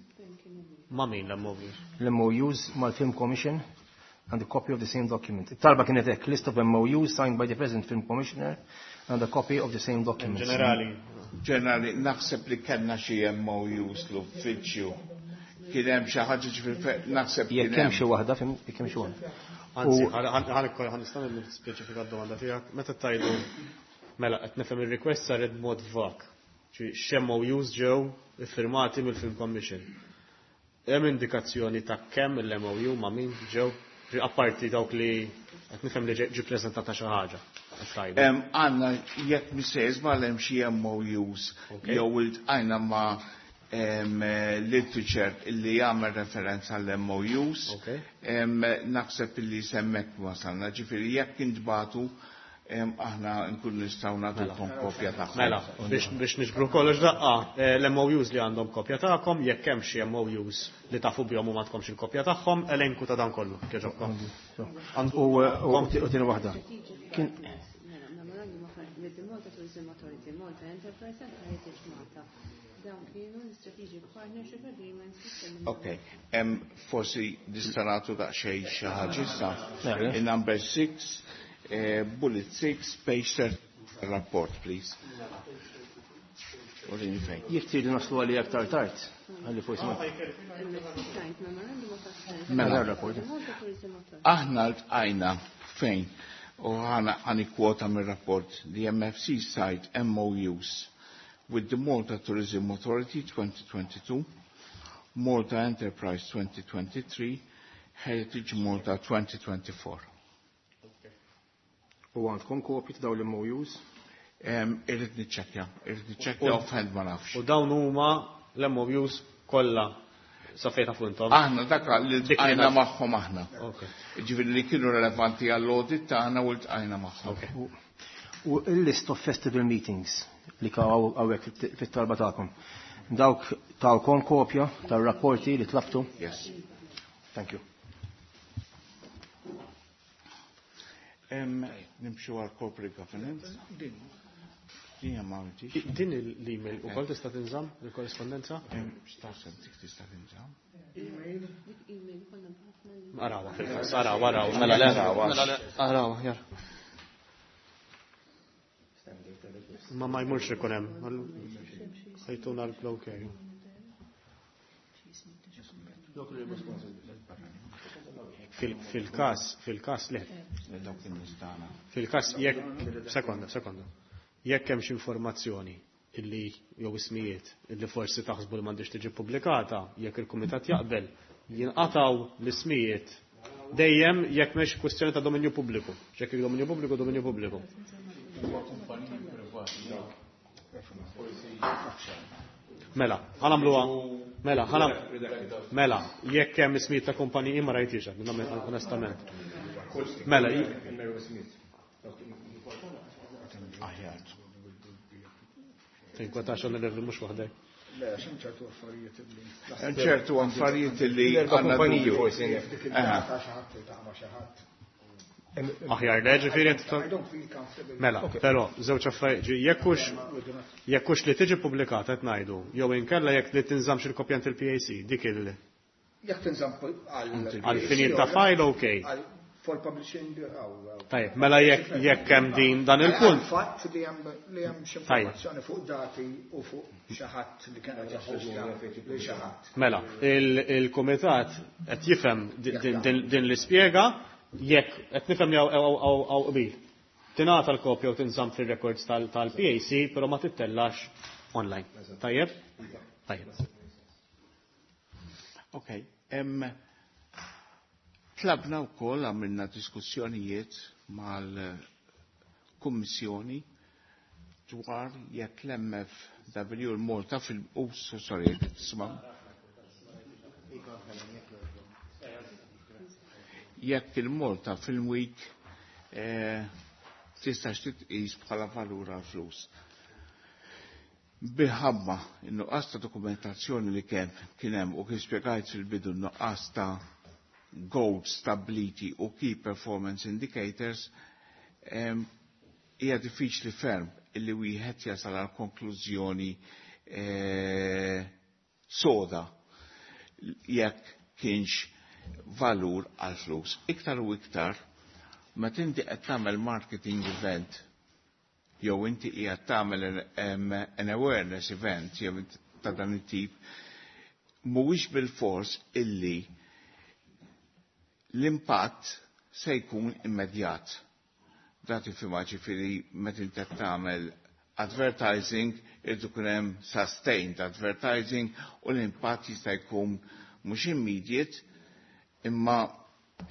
Speaker 2: Ma' min l-M O Us?
Speaker 8: L-M O Us mal-Film Commission and a copy of the same document. Talba kienet hekk, list of M O Us signed by the present film commissioner and a copy of the same document.
Speaker 2: Ġenerali.
Speaker 9: Ġenerali, naħseb li kellna xi M O Us l-uffiċċju. Kien hemm xi ħaġa, ġifieri naħseb
Speaker 8: Jekk
Speaker 9: kien
Speaker 8: hemm
Speaker 9: hemm.
Speaker 8: xi waħda, fim, jekk hemm xi waħda.
Speaker 2: Anzi,
Speaker 8: U-
Speaker 2: ħa nista' nispeċifika d-domanda tiegħek. Meta tajdu, mela qed nifhem ir-request saret b'mod vag. Ġi x'M O Us ġew iffirmati mill-Film Commission. Hemm indikazzjoni ta' kemm il-M O U ma' min ġew, ġi apparti dawk li qed nifhem li ġi preżentata xi ħaġa, qed tajdu.
Speaker 9: Em, Għandna, jekk missejz ma hemm xi M O Us
Speaker 2: Okay.
Speaker 9: jew iltqajna ma' em, literature illi jagħmel referenza għall M O Us.
Speaker 2: Okay.
Speaker 9: Em, Naħseb illi s'hemmhekk wasalna, ġifieri jekk intbagħtu em, aħna nkun nistgħu nagħtukom kopja tagħhom.
Speaker 2: Mela, biex, biex niġbru kollox daqqa, eh, l-M O Us li għandhom kopja tagħkom, jekk hemm xi M O Us li tafu bihom u m'għandkomx il-kopja tagħhom, elenku ta' dan kollu, kieġobkom.
Speaker 8: U u u tieni waħda. Kien
Speaker 11: Mela, memorandum of with the Malta Tourism Authority, Malta Enterprise and Heritage Malta. Dawn kienu l-Strategic Partnership Agreements fit-termini.
Speaker 9: Ok, em, forsi nista' nagħtu daqsxejn xi ħaġa issa.
Speaker 8: Mela.
Speaker 9: In number six, eh, bullet six, page thirty, rapport, please. Urini fejn.
Speaker 8: Jekk tridu naslu għalli aktar tard, għalli forsi ma.
Speaker 11: M F C signed memorandum of understanding
Speaker 9: Mela.
Speaker 8: Rapport.
Speaker 11: with the Malta Tourism Authority.
Speaker 9: Aħna ltqajna fejn u ħana ħani kwota mir-rapport, the M F C signed M O Us with the Malta Tourism Authority twenty twenty-two, Malta Enterprise twenty twenty-three, Heritage Malta twenty twenty-four.
Speaker 8: U għandkom kopji ta' dawn l-M O Us?
Speaker 9: Em, Irrid niċċekkja, irrid niċċekkja, offhand ma nafx.
Speaker 2: U dawn huma l-M O Us kollha sa fejn tafu intom?
Speaker 9: Aħna dak li
Speaker 2: Dik li
Speaker 9: ltqajna
Speaker 2: naf.
Speaker 9: magħhom aħna.
Speaker 2: Ok.
Speaker 9: Ġifieri li kienu relevanti għall-audit tagħna u ltqajna magħhom.
Speaker 2: Ok.
Speaker 8: U il-list of festival meetings li hawnhekk fit-talba tagħkom. Dawk tawkom kopja tar-rapporti li tlabtu?
Speaker 9: Yes.
Speaker 8: Thank you.
Speaker 9: Nimxu għal corporate governance. Din
Speaker 2: Din l-email ukoll tista' tinżamm il-korrispondenza?
Speaker 9: Tista' tinżamm.
Speaker 2: Arawa fil-każ, arawa, arawa, mela le, mela le, arawa, jar. Ma ma jmurx ikun hemm. Ħajtuna l-ok. Fil-każ, fil-każ le. Fil-każ jekk, sekonda, sekonda. Jekk hemm xi informazzjoni illi jew ismijiet illi forsi taħsbu li m'għandix tiġi pubblikata, jekk il-kumitat jaqbel, jinqataw l-ismijiet dejjem jekk mhix kwestjoni ta' dominju pubbliku. Jekk dominju pubbliku, dominju pubbliku. Mela, ħanamluha. Mela, ħanam. Mela, jekk hemm ismijiet ta' kumpaniji ma rajtix, onestament. Mela,
Speaker 9: aħjar.
Speaker 2: Tinkwetax onorevoli mhux waħdek.
Speaker 5: Le, hemm ċertu affarijiet li.
Speaker 9: Hemm ċertu affarijiet li
Speaker 8: għandna kumpaniji forsi.
Speaker 2: Aħjar, le, ġifieri Mela, però żewġ affarijiet, jekk hux jekk hux li tiġi pubblikata qed ngħidu, jew inkella jekk li tinżammx il-kopja il-P A C, dik il
Speaker 5: Jekk tinżamm
Speaker 2: għal finit ta' file, okay.
Speaker 5: For publishing.
Speaker 2: Tajjeb, mela jekk jekk hemm din dan il-punt.
Speaker 5: Fatt li hemm li hemm xi informazzjoni fuq dati u fuq xi ħadd li kien qed jaħħoġna li xi ħadd.
Speaker 2: Mela, il-kumitat qed jifhem din l-ispjega jekk qed nifhem li hawn qbil. Tingħata l-kopja u tinżamm fir-records tal-P A C, però ma tittellax online. Tajjeb? Tajjeb.
Speaker 9: Okay. Tlabna wkoll għamilna diskussjonijiet mal-Kummissjoni dwar jekk l-M F W l-Malta fil- oh, sorry, tisma'. Jekk il-Malta Film Week tistax titqis bħala valur għal flus. Bilħabba in-nuqqas ta' dokumentazzjoni li kien kien hemm u kif spjegajt fil-bidu n-nuqqas ta' goals stability u key performance indicators, hija diffiċli ferm illi wieħed jasal għal konklużjoni soda jekk kienx valur għal flus. Iktar u iktar, meta inti qed tagħmel marketing event jew inti qiegħed tagħmel an awareness event jew ta' dan it-tip, mhuwiex bil-fors illi l-impatt se jkun immedjat. Da tifhimha, ġifieri meta inti qed tagħmel advertising, irid ikun hemm sustained advertising u l-impatt jista' jkun mhux immediate, imma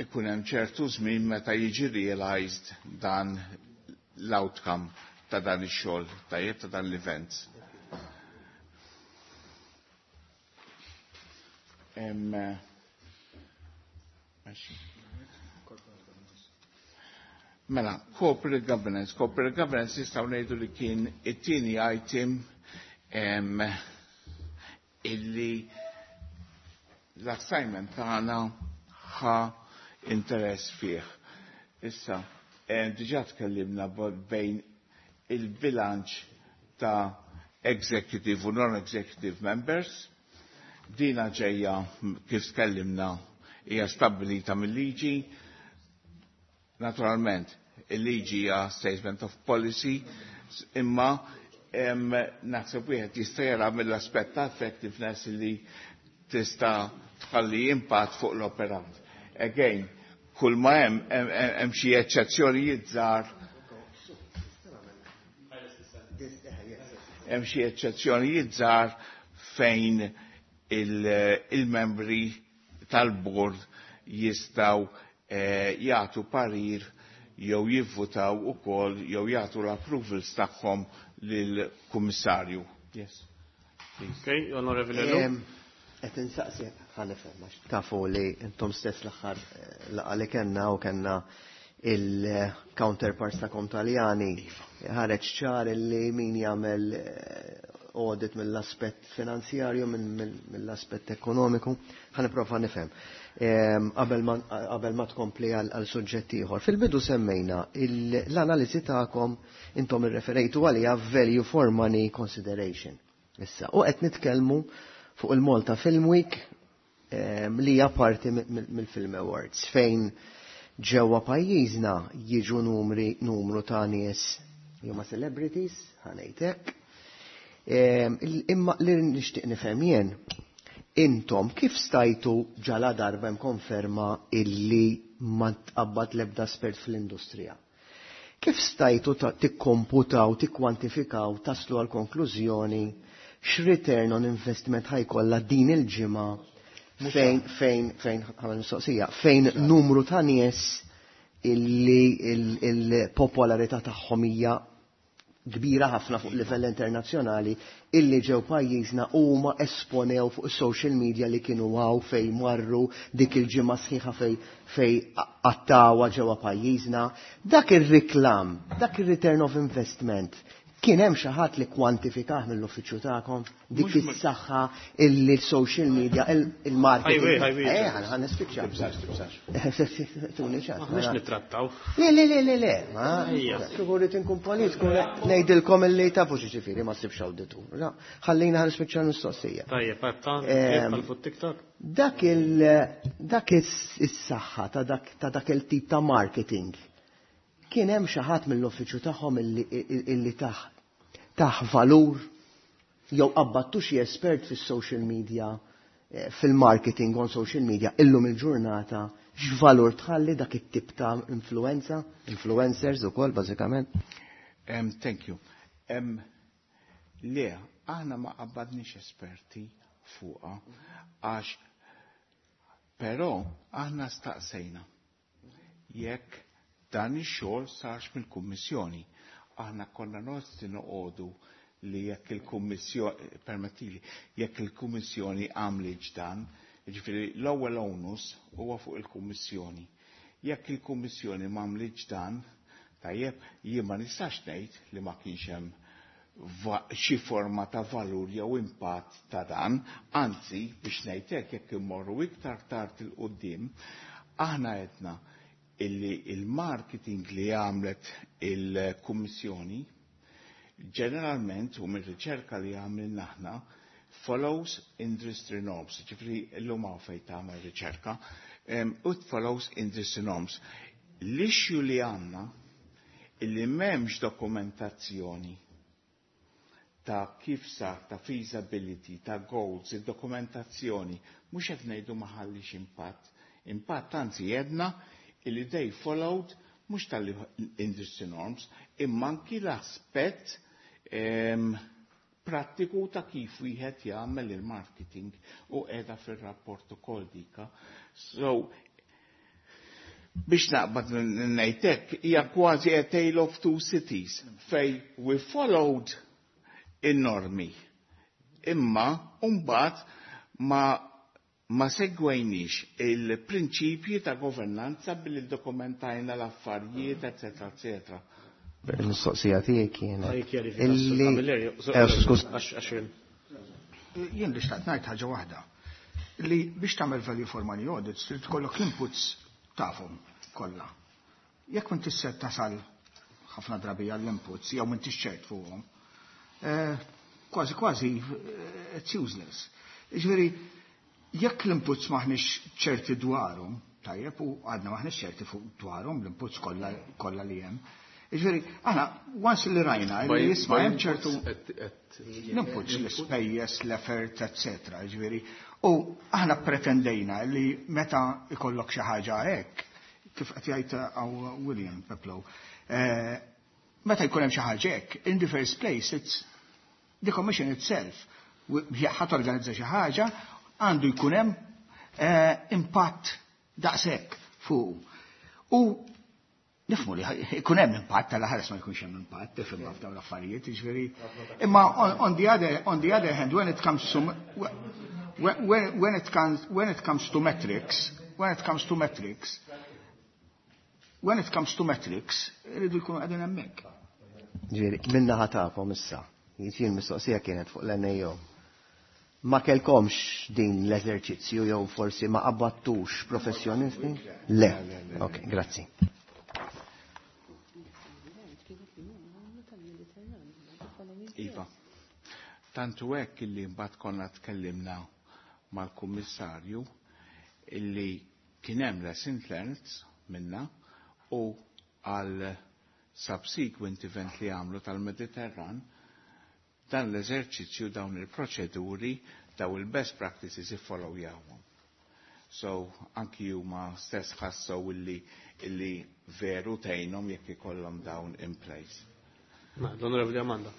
Speaker 9: ikun hemm ċertu żmien meta jiġi realized dan l-outcome ta' dan ix-xogħol, tajjeb ta' dan l-event. Mela, corporate governance. Corporate governance nistgħu ngħidu li kien it-tieni item em, illi l-assignment tagħna ħa interess fih. Issa, em, diġà tkellimna bejn il-bilanċ ta' executive u non-executive members. Dina ġejja kif tkellimna hija stabbilita mill-liġi. Naturalment, il-liġi hija statement of policy, imma em, naħseb wieħed jista' jara mill-aspett ta' effectiveness li tista' tħalli impatt fuq l-operat. Again, kull ma hemm, hemm, hemm xi eċċezzjonijiet żgħar. Hemm xi eċċezzjonijiet żgħar fejn il-membri tal-bord jistgħu, eh, jagħtu parir jew jivvutaw ukoll jew jagħtu l-approvals tagħhom lill-kummissarju. Yes.
Speaker 2: Okay, Onorevoli Lu.
Speaker 7: Qed insaqsi ħa nifhem għax tafu li intom stess l-aħħar laqgħa li kellna u kellna il-counterparts tagħkom Taljani, ħareġ ċar li min jagħmel audit mill-aspett finanzjarju, mill-aspett ekonomiku, ħa nipprova nifhem. Qabel ma tkompli għal suġġett ieħor. Fil-bidu semmejna l-analiżi tagħkom, intom irreferejtu għalija value for money consideration. Issa, u qed nitkellmu fuq il-Malta Film Week li hija parti mill-Film Awards, fejn ġewwa pajjiżna jiġu numri numru ta' nies huma celebrities, ħa ngħidlek. Imma li nixtieq nifhem jien, intom kif stajtu, ġala darba hemm konferma illi ma tqabbad l-ebda espert fl-industrija, kif stajtu tikkomputaw, tikkwantifikaw, taslu għal konklużjoni x'return on investment ħa jkollha din il-ġimgħa fejn fejn fejn għamel mistoqsija, fejn numru ta' nies illi il-popolarità tagħhom hija kbira ħafna fuq livell internazzjonali illi ġew pajjiżna, huma esponew fuq social media li kienu għaw fej marru dik il-ġimgħa sħiħa fej fej għattawa ġewwa pajjiżna? Dak ir-riklam, dak ir-return of investment, kien hemm xi ħadd li kwantifikah mill-uffiċċju tagħkom, dik is-saħħa illi l-social media, il-marketing? Eh, ħa nispiċċa. Tuni ċans.
Speaker 2: Mhux nittrattaw.
Speaker 7: Le, le, le, le, le, ma kieku rrid inkun politiku ngħidilkom illi tafu xi ma ssibx awditur. Ħallina ħa nispiċċa l-mistoqsija.
Speaker 2: Tajjeb, fuq TikTok.
Speaker 7: Dak il dak is-saħħa ta' dak ta' dak il-tip ta' marketing, kien hemm xi ħadd mill-uffiċċju tagħhom illi taħ taħ valur jew qabbattu xi espert fis-social media, eh, fil-marketing on social media illum il-ġurnata, x'valur tħalli dak it-tip ta' influenza, influencers ukoll bażikament?
Speaker 9: Um, thank you. Um, le, aħna ma qabbadniex esperti fuqa, għax però aħna staqsejna jekk dan ix-xogħol sarx mill-Kummissjoni. Aħna konna nosti noqogħdu li jekk il-Kummissjoni, permettili, jekk il-Kummissjoni għamlet dan, jiġifieri l-ewwel onus huwa fuq il-Kummissjoni. Jekk il-Kummissjoni m'għamlitx dan, tajjeb, jien ma nistax ngħid li ma kienx hemm xi forma ta' valur jew impatt ta' dan, anzi, biex ngħidlek, jekk immorru iktar tard il-qudiem, aħna għedna illi il-marketing li għamlet il-Kummissjoni ġeneralment, u mir-riċerka li għamilna aħna, follows industry norms, ġifieri l-lum hawn fejn tagħmel riċerka, u follows industry norms. L-issue li għandna illi m'hemmx dokumentazzjoni ta' kif sar, ta' feasibility, ta' goals, il-dokumentazzjoni, mhux qed ngħidu ma ħallix impatt. Impatt, anzi jedna illi they followed mhux tal-industry norms, imma anki l-aspett prattiku ta' kif wieħed jagħmel il-marketing, u qiegħda fir-rapport ukoll dika. So biex naqbad ngħidlek, hija kważi a tale of two cities fej we followed in-normi. Imma mbagħad ma ma segwejniex il-prinċipji ta' governanza billi dokumentajna l-affarijiet, eccetera, eccetera.
Speaker 7: Il-mistoqsija tiegħi kienet illi eh,
Speaker 5: Jien li xtaqt ngħid ħaġa waħda. Li biex tagħmel value for money audits trid tkollok l-inputs tafhom kollha. Jekk m'intix ser tasal ħafna drabi għall-inputs jew m'intix ċert fuqhom, eh, kważi kważi eh, it's useless. Ġifieri, jekk l-inputs maħniex ċerti dwarhom, tajjeb, u għadna maħniex ċerti fuq dwarhom l-inputs kollha li hemm. Ġifieri, aħna once li rajna li jisma' hemm ċertu l-inputs, l-ispejjeż, l-effort, eccetera. Ġifieri, u aħna pretendejna li meta ikollok xi ħaġa hekk, kif qed jgħid għaw William Peplow, eh, meta jkun hemm xi ħaġa hekk, in the first place it's the commission itself ħa torganizza xi ħaġa, għandu jkun hemm eh, impatt daqshekk fuq. U nifhmu li jkun hemm impatt, tal-ħares ma jkunx hemm impatt, tifhem, f'dawn l-affarijiet, jiġifieri. Imma on, on the other on the other hand, when it comes to when, when it comes when it comes to metrics, when it comes to metrics, When it comes to metrics, irridu jkunu qegħdin hemmhekk.
Speaker 7: Ġifieri, min-naħa tagħkom issa, jiġifieri mistoqsija kienet fuq l-N A O. Ma kellkomx din l-eżerċizzju jew forsi ma qabbattux professjonisti? Le. Ok, grazzi.
Speaker 9: Iva. Tantu hekk illi mbagħad konna tkellimna mal-kummissarju illi kien hemm lesson learned minna u għal subsequent event li għamlu tal-Mediterran, dan l-eżerċizzju, dawn il-proċeduri, daw il-best practices iffollowjawhom. So, anki huma stess ħassew illi, illi veru tgħinhom jekk ikollhom dawn in place.
Speaker 2: L-Onorevoli Amanda.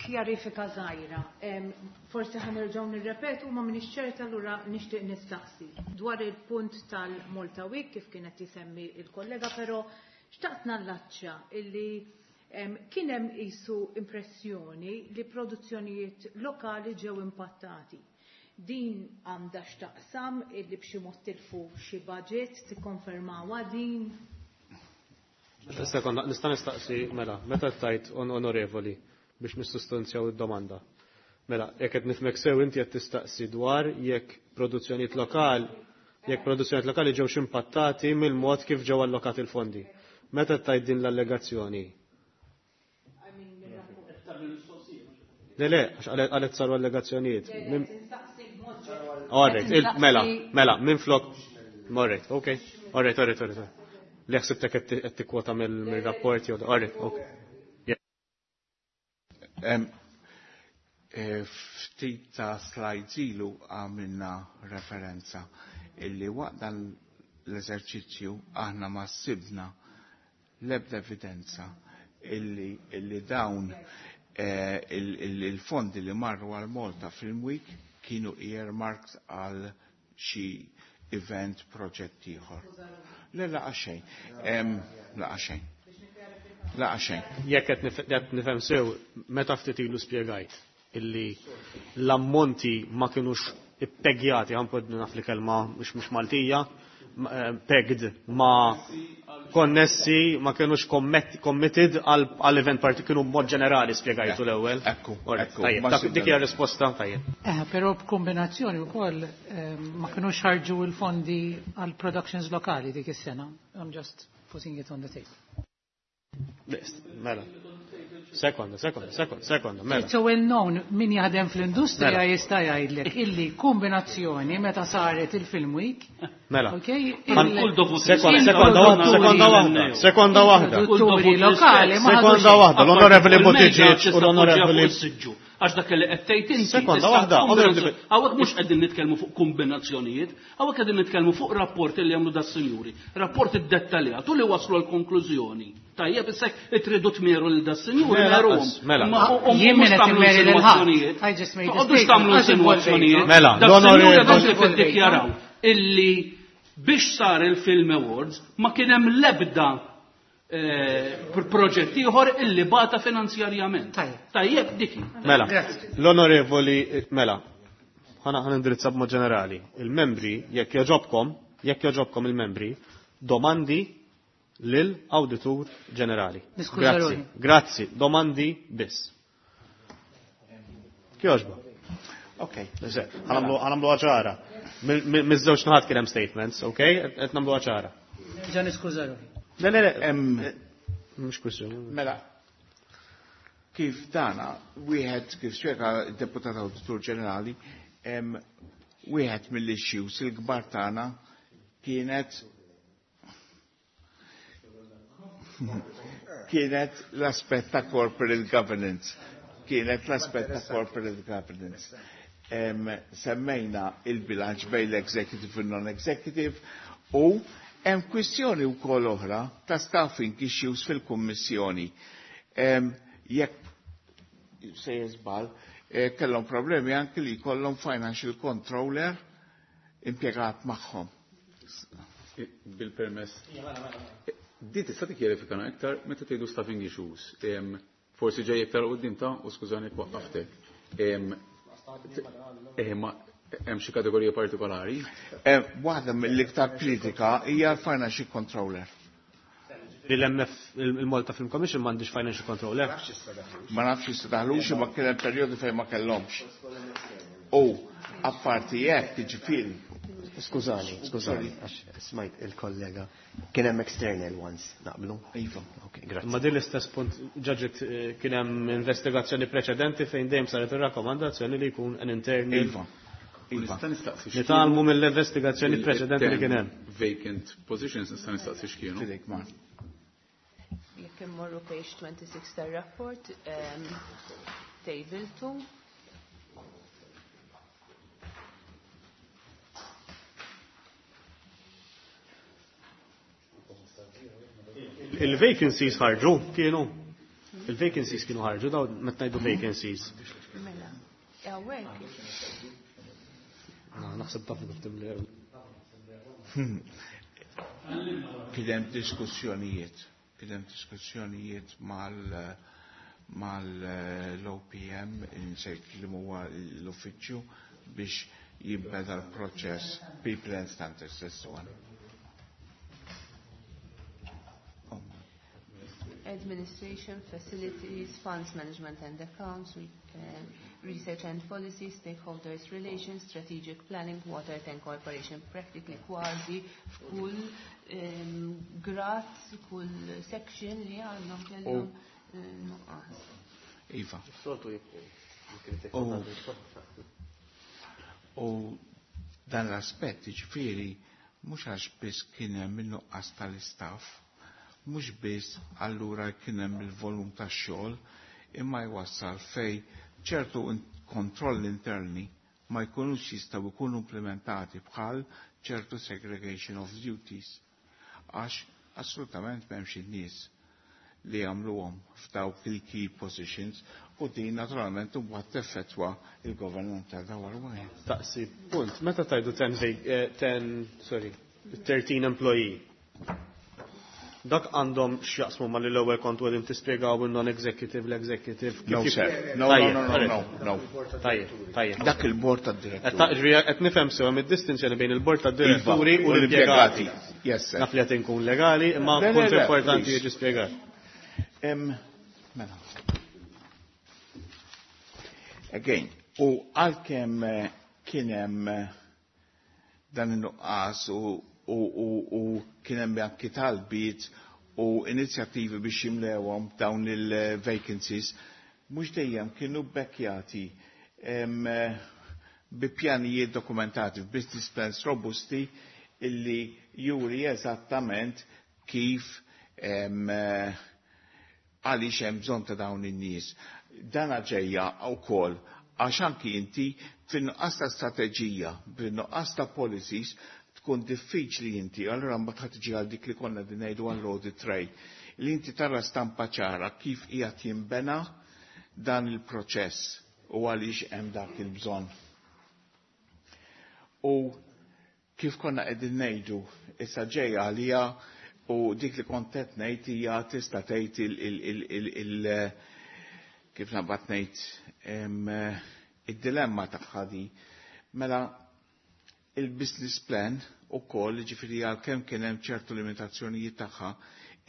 Speaker 6: Kjarifika żgħira. Forsi ħa nerġgħu nirrepetu, ma m'iniex ċerta, allura nixtieq nistaqsi. Dwar il-punt tal-Malta Week kif kienet jisemmi il-kollega, però xtaqt nallaċċa illi kien hemm isu impressjoni li produzzjonijiet lokali ġew impattati. Din għandha x'taqsam illi b'xi mod tilfu xi budget, tikkonfermawha din?
Speaker 2: Sekonda, nista' nistaqsi, mela, meta tajt on onorevoli biex nissustanzjaw id-domanda. Mela, jekk qed nifhmek sew, inti qed tistaqsi dwar jekk produzzjonijiet lokali jekk produzzjonijiet lokali ġewx impattati mill-mod kif ġew allokati l-fondi. Meta tajt din l-allegazzjoni? Le, le, għax għalet saru allegazzjonijiet. Alright, mela, mela, minn flok. Alright, ok. Alright, alright, alright. Li ħsibtek qed tikkwota mill-rapporti, alright, ok.
Speaker 9: Eh, ftit ta' slides ilu għamilna referenza illi waqt dan l-eżerċizzju aħna ma sibna l-ebda evidenza illi, illi dawn eh, il-fondi li marru għal Malta Film Week kienu earmarked għal xi event, proġett ieħor. Le, laqa xejn. Laqa xejn. Laqa xejn.
Speaker 2: Jekk qed nifhem sew, meta ftit ilu spjegajt illi l-ammonti ma kienux ippegjati, għan naf li kelma mhux mhux Maltija, eh, pegged, ma konnessi, ma kienux committed għal event parti, kienu mod ġenerali spjegajtu l-ewwel.
Speaker 9: Ekku,
Speaker 2: ekku. Dik hija risposta, tajjeb.
Speaker 1: Eh, però b'kombinazzjoni wkoll eh, ma kienux ħarġu l-fondi għal productions lokali dik is-sena. I'm just putting it on the table.
Speaker 2: Mela. Sekonda, sekonda, sekonda, sekonda, mela.
Speaker 1: It's a well known, min jaħdem fl-industrija
Speaker 2: mela.
Speaker 1: jista' jgħidlek illi kombinazzjoni meta saret il-Film Week.
Speaker 2: Mela.
Speaker 1: Okay,
Speaker 2: Sekonda, sekonda waħda, sekonda waħda, sekonda waħda.
Speaker 1: Produtturi lokali ma
Speaker 2: Sekonda waħda, l-Onorevoli Buttigieg u l-Onorevoli
Speaker 3: Għax dak li qed tgħid inti.
Speaker 2: Sekonda waħda.
Speaker 3: Hawnhekk mhux qegħdin nitkellmu fuq kombinazzjonijiet, hawnhekk qegħdin nitkellmu fuq rapport li jagħmlu das-sinjuri, rapport iddettaljat u li waslu l-konklużjoni. Tajjeb, issa tridu tmeru lil das-sinjuri, meruhom.
Speaker 2: Mela.
Speaker 1: Jien min qed immeri lil ħadd.
Speaker 3: Toqgħodux tagħmlu insinuazzjonijiet.
Speaker 2: Mela,
Speaker 3: l-onorevoli dawk li iddikjaraw illi biex sar il-Film Awards ma kien hemm l-ebda eh, proġett ieħor illi bata finanzjarjament. Tajjeb, diki.
Speaker 2: Mela, l-onorevoli, mela, ħana ħana indirizza b'mod ġenerali. Il-membri, jekk joġobkom, jekk joġobkom il-membri, domandi lil Awditur Ġenerali. Grazzi, grazzi, domandi biss. Kjoġba.
Speaker 9: Ok.
Speaker 2: Ħa nagħmlu ċara. Miż-żewġ naħat kien hemm statements, ok? Qed nagħmlu ċara.
Speaker 1: Ġa niskuża ruħi.
Speaker 2: Le, le, le, mhux kwistjoni.
Speaker 9: Mela, kif dana, wieħed kif spjega d-deputat Awditur Ġenerali, wieħed mill-issues il-kbar tagħna kienet kienet l-aspett ta' corporate governance. Kienet l-aspett ta' corporate governance. Em, semmejna il-bilanċ bejn l-executive u non-executive u hemm kwistjoni wkoll oħra ta' staffing issues fil-Kummissjoni. Jekk se jeżbal, eh, kellhom problemi anke li jkollhom financial controller impjegat magħhom.
Speaker 4: Bil-permess. Di tista' tikkjarifikana iktar meta tgħidu staffing issues. Forsi ġej iktar quddiem ta' u skużani waqqaftek. Eh, ma Hemm xi kategorija partikolari?
Speaker 9: Eh, waħda mill-iktar kritika hija l-financial controller.
Speaker 2: L-M F, il-Malta Film Commission m'għandix financial controller.
Speaker 9: Ma nafx issa daħlux, imma kien hemm perjodu fejn ma kellhomx. U apparti hekk, jiġifieri.
Speaker 7: Skużani, skużani, għax smajt il-kollega. Kien hemm external ones, naqblu?
Speaker 9: Iva.
Speaker 7: Ok, grazzi.
Speaker 2: Ma din l-istess punt ġaġet eh, kien hemm investigazzjoni preċedenti fejn dejjem saret ir-rakkomandazzjoni li jkun an internal.
Speaker 9: Iva. Iva.
Speaker 4: Nista' nistaqsi
Speaker 2: Nitgħallmu mill-investigazzjoni preċedenti li kien hemm.
Speaker 4: Vacant positions, nista' nistaqsi x'kienu.
Speaker 9: Fidejk, Mar.
Speaker 11: Jekk immorru page twenty-six tar-rapport, um, table two.
Speaker 2: Il-vacancies ħarġu, kienu. Il-vacancies kienu ħarġu, daw meta ngħidu vacancies.
Speaker 11: Mela, hawnhekk
Speaker 2: Na, naħseb taf kif timlew.
Speaker 9: Kien hemm diskussjonijiet, kien hemm diskussjonijiet mal mal l-O P M, insejt li huwa l-uffiċċju, biex jibbeda l-proċess People and Standards, that's the one.
Speaker 11: Administration, facilities, funds management and accounts, re uh, research and policy, stakeholders relations, strategic planning, water and corporation, practically kważi f'kull um, grad, kull section li għandhom kellhom eh, nuqqas.
Speaker 9: Iva. U u dan l-aspett, ġifieri, mhux għax biss kien hemm in-nuqqas tal-istaff, mhux biss allura kien hemm il-volum tax-xogħol, imma jwassal fej ċertu kontroll interni ma jkunux jistgħu jkunu implementati, bħal ċertu segregation of duties, għax assolutament m'hemmx in-nies li jagħmluhom f'dawk il-key positions, u din naturalment imbagħad teffettwa il-governanza ta' warwajn.
Speaker 2: Taqsi, punt, meta tajdu ten, ten, sorry, thirteen employee. Dak għandhom x'jaqsmu ma li l-ewwel kontu qegħdin tispjegaw il-non-executive, l-executive.
Speaker 9: No, sir. No, no, no, no, no, no.
Speaker 2: Tajjeb, tajjeb.
Speaker 9: Dak il-bord tad-diretturi.
Speaker 2: Qed nifhem sew hemm id-distinzjoni bejn il-bord tad-diretturi u l-impjegati.
Speaker 9: Yes, sir.
Speaker 2: Naf li qed inkun legali, imma punt importanti jiġi spjegat.
Speaker 9: Mela. Again, u għalkemm eh, kien hemm eh, dan in-nuqqas u u kien hemm anki talbiet u inizjattivi biex jimlewhom dawn il-vacancies, mhux dejjem kienu bekkjati bi pjanijiet dokumentati, business plans robusti illi juri eżattament kif għaliex hemm bżonn ta' dawn in-nies. Dan ġejja wkoll għax anki inti fin-nuqqas ta' strateġija, fin-nuqqas ta' policies, tkun diffiċli inti, allura mbagħad ħadd tiġi għal dik li konna din ngħidu għall audit trail, li inti tara stampa ċara kif qiegħed jinbena dan il-proċess u għaliex hemm dak il-bżonn. U kif konna qegħdin ngħidu, issa ġejja għalija u dik li kont qed ngħid hija tista' tgħid il kif nabad ngħid id-dilemma tagħha di. Mela il-business plan u koll, ġifiri għal-kem kien hemm ċertu limitazzjonijiet tagħha,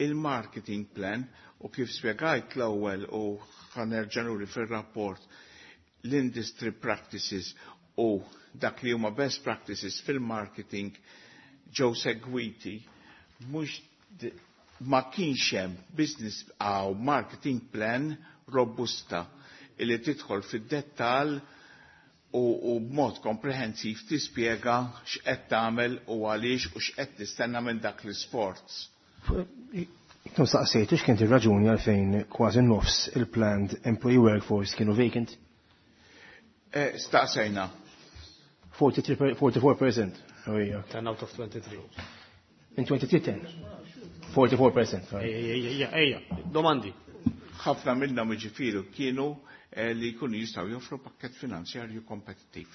Speaker 9: il-marketing plan u kif spjegajt l-ewwel u ħa nerġa' nuri fir-rapport l-industry practices u dak li huma best practices fil-marketing ġew segwiti, mhux ma kienx hemm business aw marketing plan robusta illi tidħol fid-dettall u, u b'mod komprehensiv tispjega x'qed tagħmel u għaliex u x'qed tistenna minn dak l-isforz.
Speaker 8: Intom staqsejtu x'kient ir-raġuni għalfejn kważi nofs il-planned employee workforce kienu vacant?
Speaker 9: Eh, staqsejna.
Speaker 8: forty-four percent. Oh, yeah.
Speaker 2: ten out of twenty-three.
Speaker 8: In twenty ten. forty-four percent. Sorry.
Speaker 2: Ejja, ejja, domandi.
Speaker 9: Ħafna minnhom, jiġifieri, kienu eh, li jkunu jistgħu joffru pakket finanzjarju kompetittiv.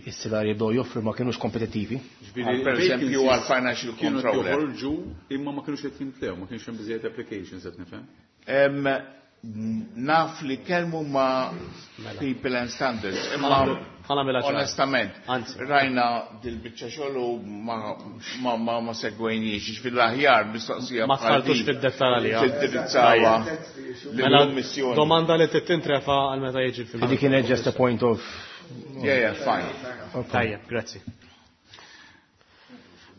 Speaker 8: Is-salari jibdew joffru ma kienux kompetittivi.
Speaker 9: Per eżempju għal financial
Speaker 4: kienu
Speaker 9: controller.
Speaker 4: joħorġu imma ma kienux qed jimtlew, ma kienx hemm biżejjed applications, qed nifhem.
Speaker 9: Em, Naf li kelmu ma' People and Standards, imma onestament, rajna dil-biċċa xogħol u ma ma ma ma segwejniex, fil-aħjar mistoqsija.
Speaker 2: Ma tħaltux fid-dettal għalija.
Speaker 9: Tindirizzawa lill-Kummissjoni.
Speaker 2: Domanda li tintrefa għal meta jiġi fil
Speaker 8: Dik kienet just a point of.
Speaker 9: Yeah, yeah, fine.
Speaker 2: Tajjeb, grazzi.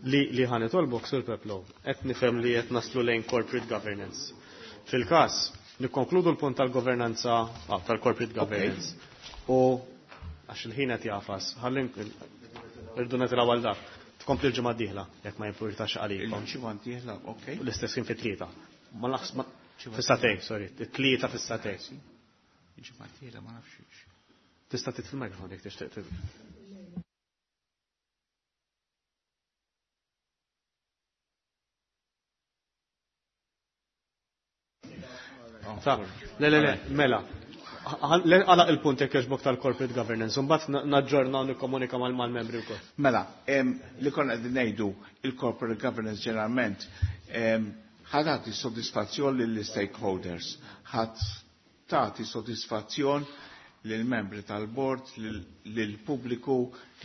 Speaker 2: Li li ħa nitolbok, Sur Peplow, qed nifhem li qed naslu lejn corporate governance. Fil-każ, nikkonkludu l-punt tal-governanza, ah, tal-corporate governance. U għax il-ħin qed jafas, ħalli irdu nitilgħu għal dak. Tkompli l-ġimgħa d-dieħla, jekk ma jimpurtax għalikom.
Speaker 9: Il-ġimgħa d-dieħla, okej.
Speaker 2: L-istess kien fit-tlieta. Ma naħs fis-sagħtejn, sorry, it-tlieta fis-sagħtejn.
Speaker 9: Il-ġimgħa d-dieħla ma nafx.
Speaker 2: Tista' titfi l-mikrofon jekk tixtieq. Le, le, le, mela. Għala il-punt jekk jogħġbok tal-corporate governance, mbagħad naġġorna u nikkomunika mal-membri wkoll.
Speaker 9: Mela, li konna qegħdin ngħidu il-corporate governance ġeneralment ħa tagħti sodisfazzjon lill-stakeholders, ħa tagħti sodisfazzjon lill-membri tal-bord, lill-pubbliku,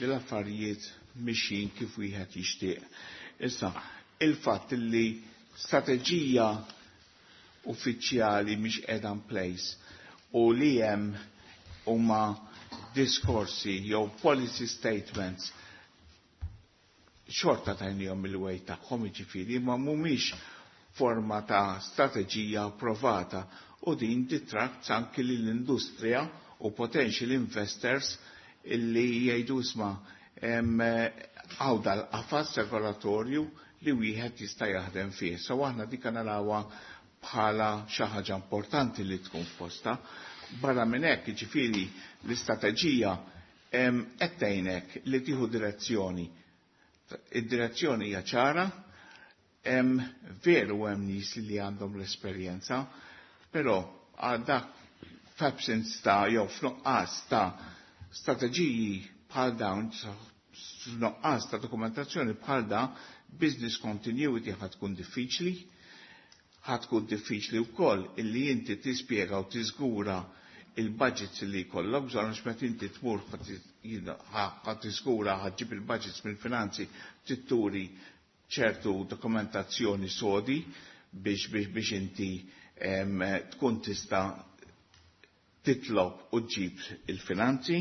Speaker 9: li l-affarijiet mixjin kif wieħed jixtieq. Issa, il-fatt li strateġija uffiċjali mhix qiegħda in place u li hemm huma diskorsi jew policy statements xorta tajnihom il-way tagħhom, jiġifieri ma mhumiex forma ta' strateġija approvata u din detracts anki lill-industrija u potential investors illi jgħidu isma' għaw dal-qafas regolatorju li wieħed jista' jaħdem fih. So aħna dik narawha bħala xi ħaġa importanti li tkun f'posta. Barra minn hekk, jiġifieri l-istrateġija qed tgħinek li tieħu direzzjoni. Id-direzzjoni hija ċara, veru hemm nies li għandhom l-esperjenza, però għal dak f'absence ta' jew f'nuqqas ta' strateġiji bħal dawn, f'nuqqas ta' dokumentazzjoni bħal da, business continuity ħa tkun diffiċli, ħa tkun diffiċli wkoll illi inti tispjega u tiżgura il-budgets li jkollok bżonn, għax meta inti tmur ħa tiżgura ħa ġġib il-budgets mill-finanzi titturi ċertu dokumentazzjoni sodi biex biex biex inti tkun tista' titlob u ġġib il-finanzi.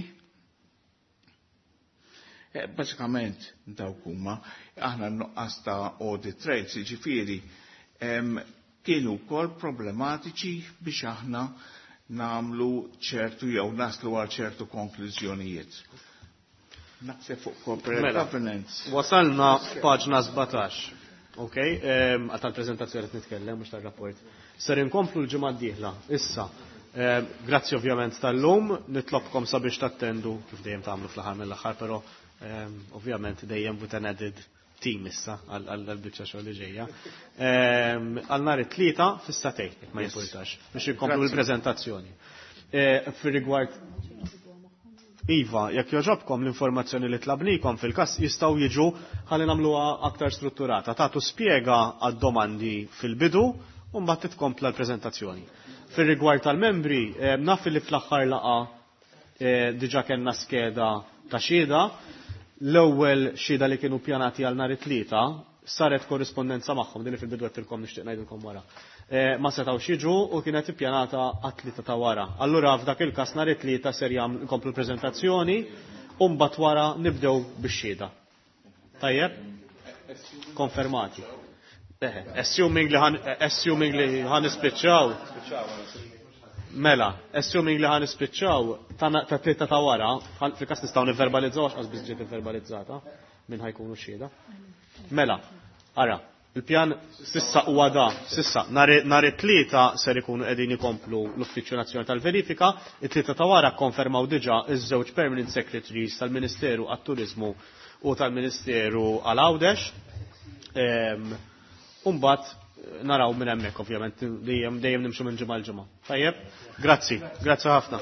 Speaker 9: Bażikament dawk huma aħna n-nuqqas ta' audit trails, jiġifieri kienu wkoll problematiċi biex aħna namlu ċertu jew naslu għal ċertu konklużjonijiet. Naħseb fuq corporate
Speaker 2: Mela,
Speaker 9: governance.
Speaker 2: Wasalna f'paġna sbatax. Ok, għal tal-prezentazzjoni qed nitkellem mhux tar-rapport. Ser inkomplu l-ġimgħa d-dieħla. Issa, grazzi ovvjament tal-lum, nitlobkom sabiex tattendu kif dejjem tagħmlu fl-aħħar mill-aħħar, però ovvjament dejjem with an added team issa għal-biċċa xogħol li ġejja. Għal nhar it-tlieta fis-sagħtejn, jekk ma jimpurtax, biex inkomplu l-preżentazzjoni. Fir-rigward Iva, jekk joġobkom l-informazzjoni li tlabnikom fil-każ jistgħu jiġu ħalli nagħmluha aktar strutturata. Tagħtu spjega għad-domandi fil-bidu u mbagħad titkompla l-preżentazzjoni. Fir-rigward tal-membri, naf li fl-aħħar laqa diġà kellna skeda ta' xhieda. L-ewwel xhieda li kienu pjanati għal nhar it-tlieta saret korrispondenza magħhom, din li fil-bidu għedtilkom nixtieq ngħidilkom wara. Ma setgħux jiġu u kienet ippjanata għat-tlieta ta' wara. Allura f'dak il-każ nhar it-tlieta ser jkomplu l-preżentazzjoni u mbagħad wara nibdew bix-xhieda. Tajjeb? Konfermati. Assuming li ħan, assuming li ħan nispiċċaw. Mela, assuming li ħan nispiċċaw ta' tlieta ta' wara, fil-każ nistgħu nivverbalizzaw għax qas biss ġiet ivverbalizzata minn ħajkunu xhieda. Mela, ara, il-pjan sissa huwa da, sissa nhar it-tlieta ser ikunu qegħdin ikomplu l-Uffiċċju Nazzjonali tal-Verifika, it-tlieta ta' wara kkonfermaw diġà iż-żewġ permanent secretaries tal-Ministeru għat-Turiżmu u tal-Ministeru għal Għawdex. U mbagħad naraw minn hemmhekk ovvjament dejjem dejjem nimxu minn ġimgħa l ġimgħa. Tajjeb? Grazzi, grazzi ħafna.